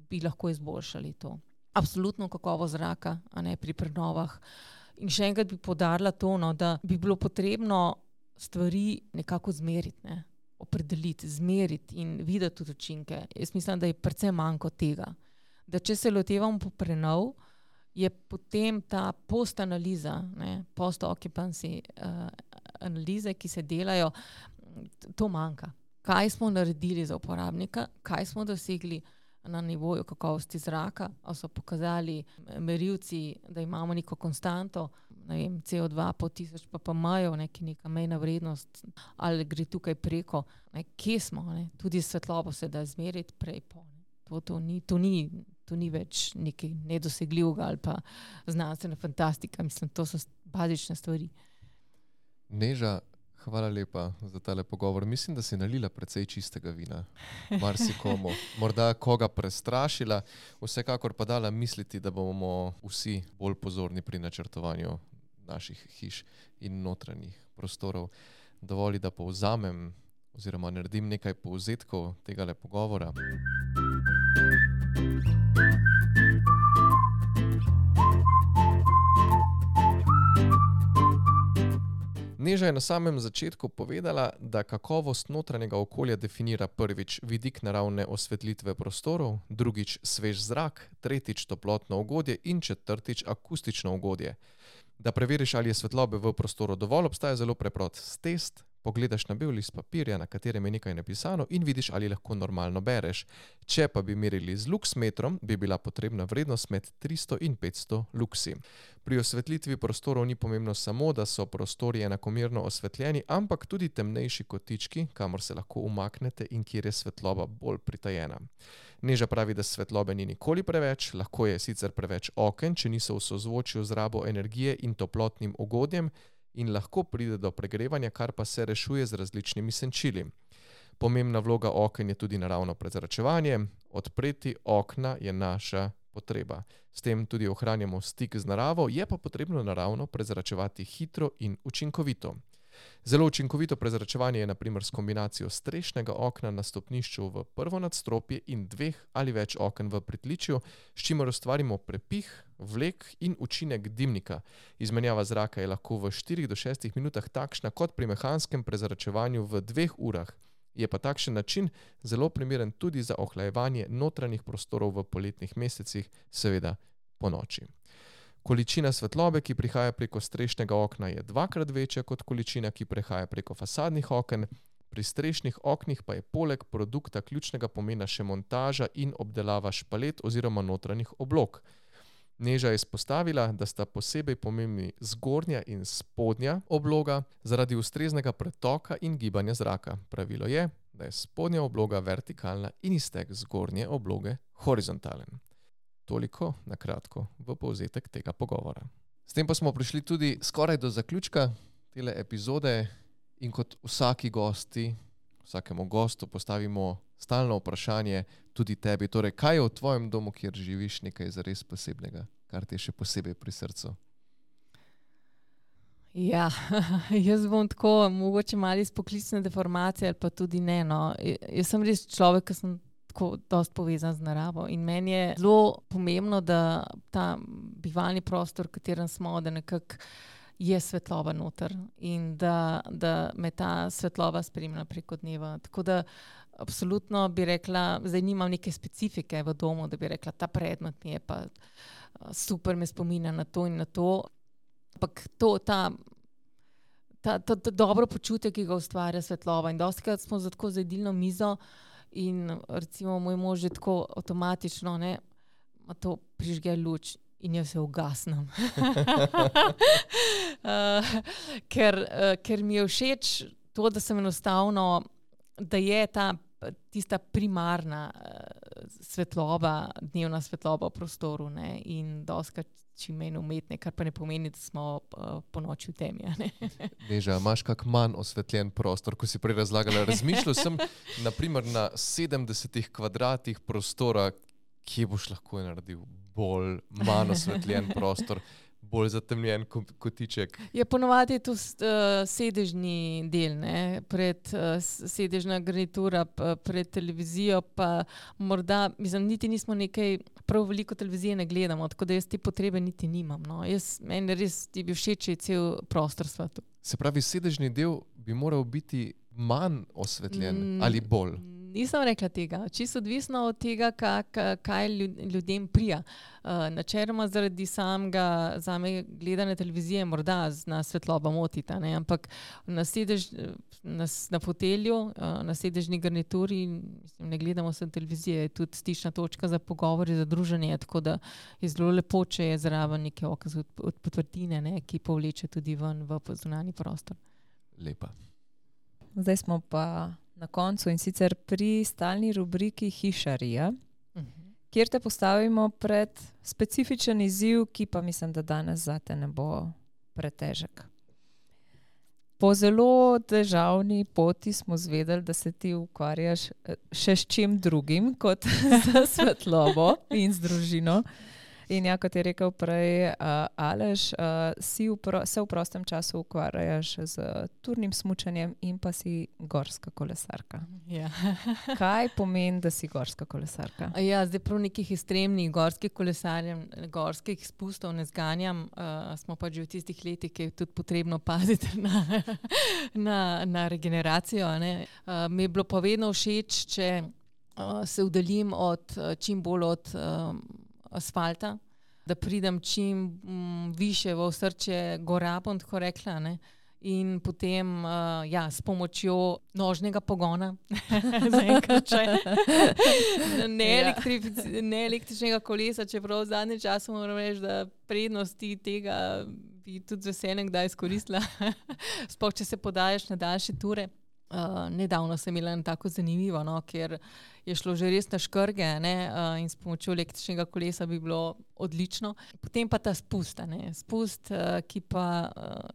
bi lahko izboljšali to. Absolutno kakovost zraka, pri prenovah. In še enkrat bi poudarila to, da bi bilo potrebno stvari nekako zmeriti, opredeliti, zmeriti in videti tudi učinke. Jaz mislim, da je predvsem manjko tega. Da če se lotevamo po prenov, je potem ta post-analiza, post-occupancy analize, ki se delajo, to manjka. Kaj smo naredili za uporabnika, kaj smo dosegli na nivoju kakovosti zraka, ali so pokazali merilci, da imamo neko konstanto, CO2 po 1000 ppm, neka mejna vrednost, ali gre tukaj preko, kje smo, tudi svetlobo se da zmeriti prej po. To ni več nekaj nedosegljivega ali pa znanstvena fantastika, mislim, to so bazične stvari. Neža, hvala lepa za tale pogovor. Mislim, da si nalila precej čistega vina. Marsikomu. Morda koga prestrašila, vsekakor pa dala misliti, da bomo vsi bolj pozorni pri načrtovanju naših hiš in notranjih prostorov. Dovoli, da povzamem oziroma naredim nekaj povzetkov tegale pogovora. Neža je na samem začetku povedala, da kakovost notranjega okolja definira prvič vidik naravne osvetlitve prostorov, drugič svež zrak, tretjič toplotno ugodje in četrtič akustično ugodje. Da preveriš, ali je svetlobe v prostoru dovolj, obstaja zelo preprost test. Pogledaš na bel list papirja, na katerem je nekaj napisano in vidiš, ali lahko normalno bereš. Če pa bi merili z luksmetrom, bi bila potrebna vrednost med 300 in 500 luksi. Pri osvetlitvi prostorov ni pomembno samo, da so prostori enakomerno osvetljeni, ampak tudi temnejši kotički, kamor se lahko umaknete in kjer je svetloba bolj pritajena. Neža pravi, da svetlobe ni nikoli preveč, lahko je sicer preveč oken, če niso v sozvočju z rabo energije in toplotnim ugodjem, in lahko pride do pregrevanja, kar pa se rešuje z različnimi senčili. Pomembna vloga oken je tudi naravno prezračevanje. Odpreti okna je naša potreba. S tem tudi ohranjamo stik z naravo, je pa potrebno naravno prezračevati hitro in učinkovito. Zelo učinkovito prezračevanje je na primer s kombinacijo strešnega okna na stopnišču v prvo nadstropje in 2 ali več oken v pritličju, s čimer ustvarimo prepih, vlek in učinek dimnika. Izmenjava zraka je lahko v 4 do 6 minutah takšna kot pri mehanskem prezračevanju v 2 urah. Je pa takšen način zelo primeren tudi za ohlajevanje notranjih prostorov v poletnih mesecih, seveda po noči. Količina svetlobe, ki prihaja preko strešnega okna, je 2-krat večja kot količina, ki prihaja preko fasadnih oken. Pri strešnih oknih pa je poleg produkta ključnega pomena še montaža in obdelava špalet oziroma notranjih oblog. Neža je izpostavila, da sta posebej pomembni zgornja in spodnja obloga zaradi ustreznega pretoka in gibanja zraka. Pravilo je, da je spodnja obloga vertikalna in iztek zgornje obloge horizontalen. Toliko na kratko v povzetek tega pogovora. S tem pa smo prišli tudi skoraj do zaključka tele epizode in kot vsakemu gostu postavimo stalno vprašanje tudi tebi. Torej, kaj je v tvojem domu, kjer živiš, nekaj zares posebnega, kar ti je še posebej pri srcu? Ja, jaz bom tako, mogoče malo iz poklicne deformacije ali pa tudi ne. No. Jaz sem res človek, ki sem tako dosti povezan z naravo in meni je zelo pomembno, da ta bivalni prostor, v katerem smo, da nekako je svetloba noter in da me ta svetloba spremlja preko dneva. Tako da absolutno bi rekla, zdaj nimam neke specifike v domu, da bi rekla, ta predmet mi je pa super, me spominja na to in na to. Ampak to dobro počutje, ki ga ustvarja svetloba. In dostikrat smo tako za jedilno mizo in recimo moj mož je tako avtomatično, to prižge luč in jaz se ugasnem. Ker mi je všeč to, da sem enostavno, da je tista primarna svetloba, dnevna svetloba v prostoru, in dostikrat čim manj umetne, kar pa ne pomeni, da smo po noči v temi. Neža, imaš kak manj osvetljen prostor, ko si prej razlagala? Razmišljal sem naprimer na 70 kvadratih prostora, kje boš lahko naredil bolj manj osvetljen prostor, bolj zatemljen kotiček. Ja, ponovadi je to sedežni del, sedežna garnitura pred televizijo, pa morda, niti nismo nekaj, prav veliko televizije ne gledamo, tako da jaz te potrebe niti nimam. No. Meni res je bil všeč cel prostor svetu. Se pravi, sedežni del bi moral biti manj osvetljen ali bolj? Nisem rekla tega. Čisto odvisno od tega, kaj ljudem prija. Načeloma zaradi zame gledane televizije morda na svetloba motita, ampak na fotelju, na sedežni garnituri ne gledamo se televizije, je tudi stična točka za pogovor, za druženje, tako da je zelo lepo, če je zraven neke okaz od potvrtine, ki povleče tudi ven v zunanji prostor. Lepa. Zdaj smo pa na koncu in sicer pri stalni rubriki Hišarija, kjer te postavimo pred specifičen izziv, ki pa mislim, da danes zate ne bo pretežek. Po zelo težavni poti smo zvedeli, da se ti ukvarjaš še s čim drugim kot z svetlobo in z družino. In ja, kot je rekel prej Aleš, se v prostem času ukvarjaš z turnim smučanjem in pa si gorska kolesarka. Ja. Kaj pomeni, da si gorska kolesarka? Ja, zdaj prav nekih ekstremnih gorskih kolesarjev, gorskih spustov ne zganjam. Smo pa že v tistih letih, ki je tudi potrebno paziti na regeneracijo. Mi je bilo pa vedno všeč, če se uddaljim čim bolj od asfalta, da pridem čim više v osrčje gora, bom tako rekla, In potem s pomočjo nožnega pogona, zaenkrat ne električnega kolesa, čeprav v zadnjem času moram reči, da prednosti tega bi tudi z veseljem kdaj izkoristila, sploh če se podajaš na daljše ture. Nedavno sem imela tako zanimivo, ker je šlo že res na škrge, in s pomočjo električnega kolesa bi bilo odlično. Potem pa ta spust, ki pa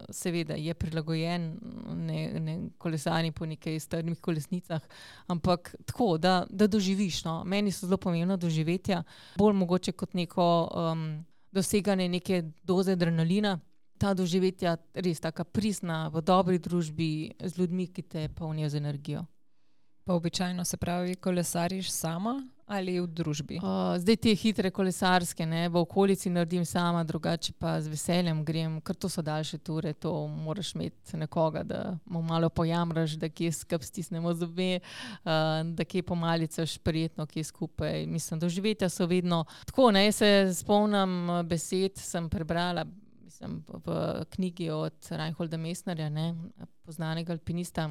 seveda je prilagojen ne kolesarji po nekaj strmih kolesnicah, ampak tako, da doživiš. Meni so zelo pomembna doživetja, bolj mogoče kot neko doseganje neke doze adrenalina. Ta doživetja res taka pristna, v dobri družbi, z ljudmi, ki te polnijo z energijo. Pa običajno se pravi, kolesariš sama ali v družbi? Zdaj te hitre kolesarske, v okolici naredim sama, drugače pa z veseljem grem, ker to so daljše ture, to moraš imeti nekoga, da mu malo pojamraš, da kje skup stisnemo zobe, da kje pomalicaš prijetno, kje skupaj. Mislim, doživetja so vedno tako, se spomnim besed, sem prebrala, v knjigi od Reinholda Messnerja, poznanega alpinista,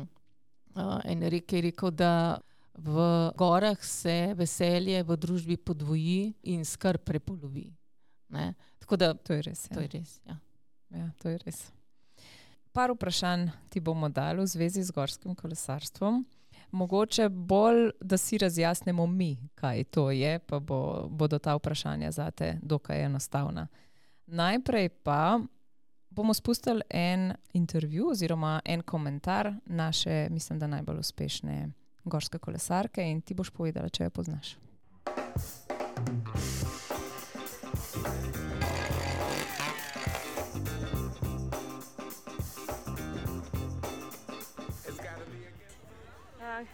je rekel, da v gorah se veselje v družbi podvoji in skrb prepolovi. Tako da to je res. To je res, ja. Ja, to je res. Par vprašanj ti bomo dali v zvezi z gorskim kolesarstvom. Mogoče bolj, da si razjasnimo mi, kaj to je, pa bodo ta vprašanja zate dokaj enostavna. Najprej pa bomo spustili en intervju oziroma en komentar naše, mislim, da najbolj uspešne gorske kolesarke in ti boš povedala, če jo poznaš.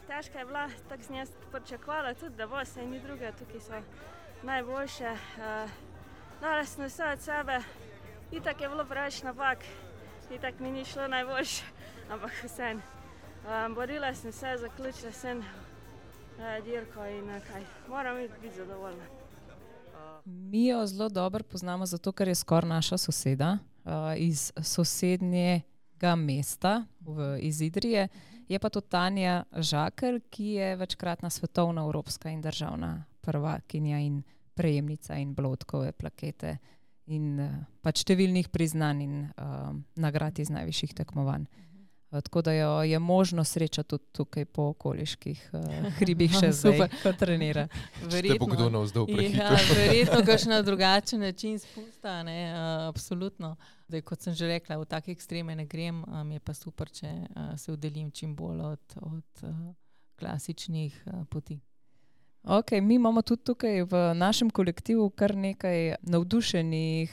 Težka je bila, tako sem jaz pričakovala tudi, da bo se ni druge, tukaj so najboljše. Dala sem vse od sebe, itak je bilo preveč napak, itak mi ni šlo najboljše, ampak vseeno. Borila sem se, zaključila sem dirko in kaj, moram biti zadovoljna. Mi jo zelo dobro poznamo zato, ker je skoraj naša soseda iz sosednjega mesta iz Idrije. Je pa to Tanja Žakelj, ki je večkratna svetovna, evropska in državna prvakinja in prejemnica in Blotkove plakete in pač številnih priznanj in nagrad iz najvišjih tekmovanj. Tako da jo je možno srečati tudi tukaj po okoliških hribih še zdaj, ko trenira. Te bo kdo navzdol prehitro. Ja, verjetno kakšen drugačen način spusta, absolutno. Zdaj, kot sem že rekla, v take ekstreme ne grem, mi je pa super, če se udeležim čim bolj od klasičnih poti. Ok, mi imamo tudi tukaj v našem kolektivu kar nekaj navdušenih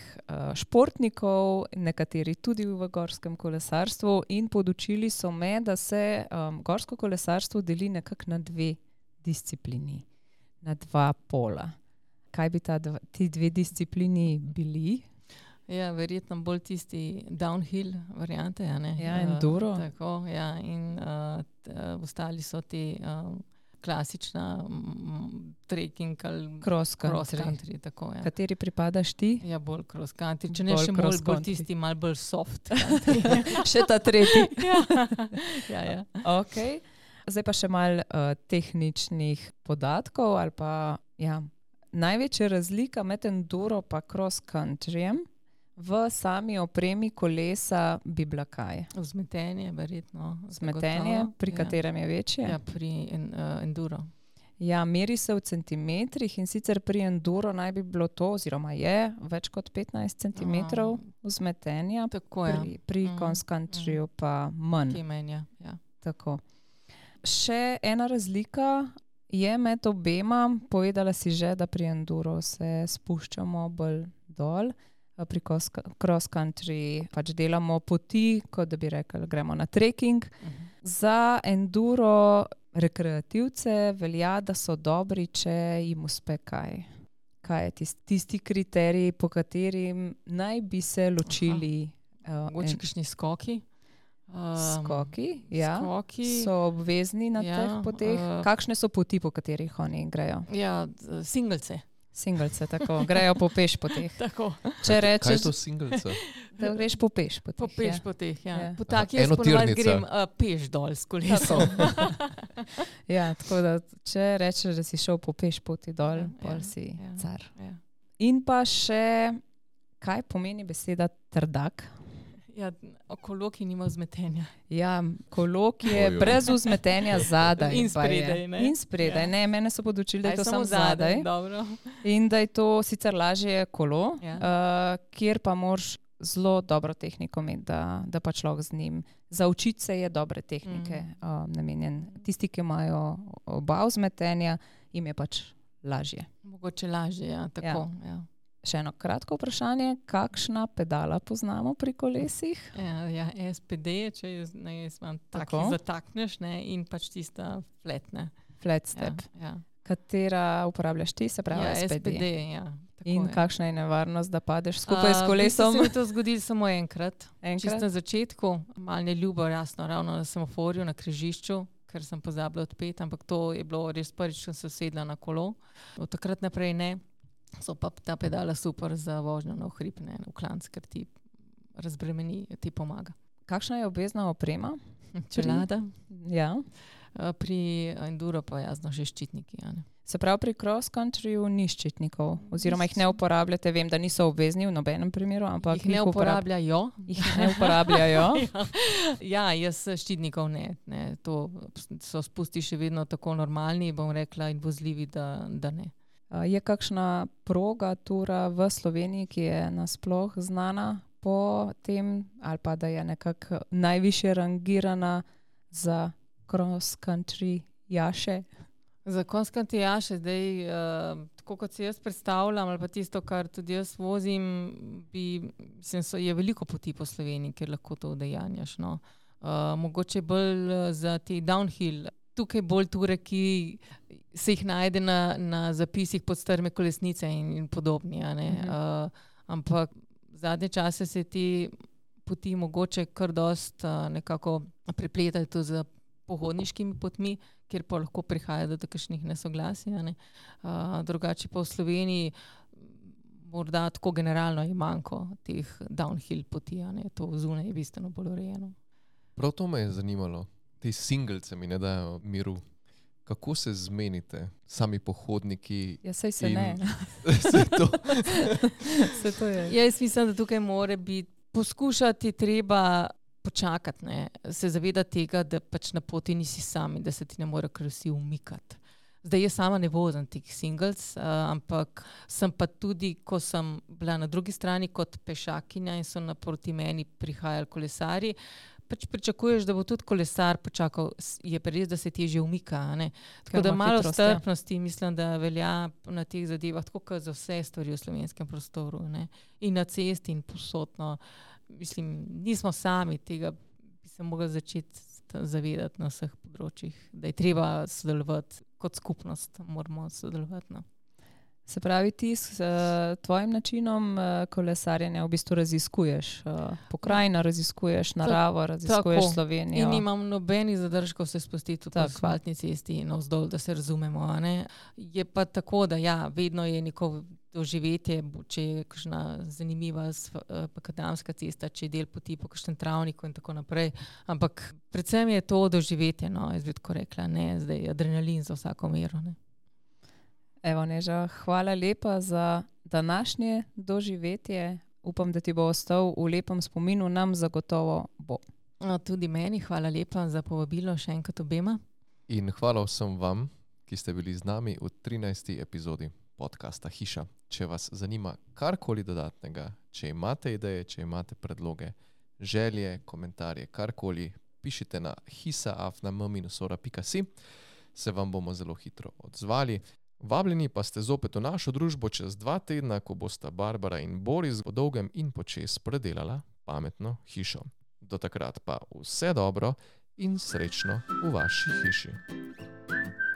športnikov, nekateri tudi v gorskem kolesarstvu in podučili so me, da se gorsko kolesarstvo deli nekako na dve disciplini, na dva pola. Kaj bi ti dve disciplini bili? Ja, verjetno bolj tisti downhill variante, Ja, enduro. Tako, ja, in ostali so ti klasična trekking ali cross country. Tako, ja. Kateri pripadaš ti? Ja, bolj cross country. Če ne še bolj tisti, malo bolj soft. Še ta tretji. Ja. Ok. Zdaj pa še malo tehničnih podatkov ali pa, največja razlika med enduro pa cross countryjem v sami opremi kolesa bi bila kaj? Vzmetenje, verjetno. Vzmetenje, pri katerem je večje? Ja, pri enduro. Ja, meri se v centimetrih in sicer pri enduro naj bi bilo to, oziroma je več kot 15 centimetrov vzmetenja, pri cross countryju pa manj. Ja. Tako. Še ena razlika je med obema, povedala si že, da pri enduro se spuščamo bolj dol, pri cross country pač delamo poti, kot da bi rekli, gremo na trekking. Za enduro rekreativce velja, da so dobri, če jim uspe kaj. Kaj je tisti kriterij, po katerim naj bi se ločili? Mogoče kakšni skoki. Skoki, ja. Skoki so obvezni na teh poteh. Kakšne so poti, po katerih oni grejo? Ja, singlece. Singlece, tako. Grejo po peš poteh. Tako. Če rečeš, kaj so singlece? Da greš po peš poteh. Po peš poteh, ja. Ja. Po taki jaz ponovadi enotirnica. grem peš dol s kolesom. Ja, tako da če rečeš, da si šel po peš poti dol, Ja, pol ja, si ja. car. Ja. In pa še, kaj pomeni beseda trdak? Ja, okolo, ki nima vzmetenja. Ja, kolo, ki je Ojoj. brez vzmetenja zadaj. In pa je. spredaj, ne? In spredaj, Ja. ne, mene so podučili, da je Aj, to samo zadaj. Dobro. In da je to sicer lažje kolo, Ja. kjer pa moraš zelo dobro tehniko imeti, da pa človek z njim. Za učiti se je dobre tehnike namenjen. Tisti, ki imajo oba vzmetenja, jim je pač lažje. Mogoče lažje, ja, tako. Ja. Še eno kratko vprašanje, kakšna pedala poznamo pri kolesih? Ja, SPD, če jaz imam Tako. taki zatakneš, ne, in pač tista fletne. Flat Ja, step. ja. Katera uporabljaš ti, se pravi Ja, SPD? SPD, ja. Tako In je. kakšna je nevarnost, da padeš skupaj s V bistvu kolesom? se mi je to zgodilo samo enkrat. Čisto Enkrat? na začetku, malo neljubo, jasno, ravno na semaforju, na križišču, ker sem pozabila odpeti, ampak to je bilo res prvič, ko sem sedla na kolo. Od takrat naprej ne. So pa ta pedala super za vožnjo na hrib, ne, v klanc, ker ti razbremeni, ti pomaga. Kakšna je obvezna oprema? Čelada, Ja. pri enduro pa jasno še ščitniki. Ja, ne. Se pravi, pri cross-countryju ni ščitnikov, oziroma jih ne uporabljate. Vem, da niso obvezni v nobenem primeru, ampak Jih ne uporabljajo. Jih ne uporabljajo. Ja, jaz ščitnikov ne. To so spusti še vedno tako normalni, bom rekla, in vozljivi, da ne. Je kakšna proga, tura v Sloveniji, ki je nasploh znana po tem, ali pa da je nekako najvišje rangirana za cross-country jaše? Za konskante jaše zdaj, tako kot si jaz predstavljam, ali pa tisto, kar tudi jaz vozim, je veliko poti po Sloveniji, kjer lahko to udejanjaš. No. Mogoče bolj za te downhill, tukaj bolj ture, ki se jih najde na zapisih pod strme kolesnice in podobni. A ne. Ampak zadnje čase se te poti mogoče kar dost nekako prepletajo to z pohodniškimi potmi, kjer pa lahko prihaja do takšnih nesoglasij. A ne. Drugače pa v Sloveniji morda tako generalno je manjko teh downhill poti. A ne. To zunaj je bistveno bolj urejeno. Prav to me je zanimalo. Ti singlce mi ne dajo miru. Kako se zmenite, sami pohodniki? Ja, saj se in- ne. Se to? Se to je. Jaz mislim, da tukaj mora biti poskušati treba počakati, ne. Se zavedati tega, da pač na poti nisi sam in da se ti ne more kar vsi umikati. Zdaj jaz sama ne vozim teh singles, ampak sem pa tudi, ko sem bila na drugi strani kot pešakinja in so naproti meni prihajali kolesarji, pač pričakuješ, da bo tudi kolesar počakal, je pa res, da se težje umika. A ne. Tako Ker da ima malo hitrost, ja. strpnosti mislim, da velja na teh zadevah, tako kot za vse stvari v slovenskem prostoru. Ne. In na cesti in povsod. No. Mislim, nismo sami, tega bi se mogli začeti zavedati na vseh področjih, da je treba sodelovati kot skupnost, moramo sodelovati. No. Se pravi, ti s tvojim načinom kolesarjenja v bistvu raziskuješ pokrajino, raziskuješ naravo, raziskuješ tako. Slovenijo. In nimam nobenih zadržkov se spustiti po Tako. asfaltni cesti navzdol, da se razumemo. A ne. Je pa tako, da ja, vedno je neko doživetje, če je kakšna zanimiva makadamska cesta, če je del poti po kakšnem travniku in tako naprej. Ampak predvsem je to doživetje, no, jaz bi tako rekla, ne zdaj adrenalin za vsako mero. Ne. Evo, Neža, hvala lepa za današnje doživetje. Upam, da ti bo ostal v lepem spominu, nam zagotovo bo. Tudi meni, hvala lepa za povabilo še enkrat obema. In hvala vsem vam, ki ste bili z nami v 13. epizodi podcasta Hiša. Če vas zanima karkoli dodatnega, če imate ideje, če imate predloge, želje, komentarje, karkoli, pišite na hisa@m-ora.si, se vam bomo zelo hitro odzvali. Vabljeni pa ste zopet v našo družbo čez 2 tedna, ko bosta Barbara in Boris po dolgem in počez predelala pametno hišo. Do takrat pa vse dobro in srečno v vaši hiši.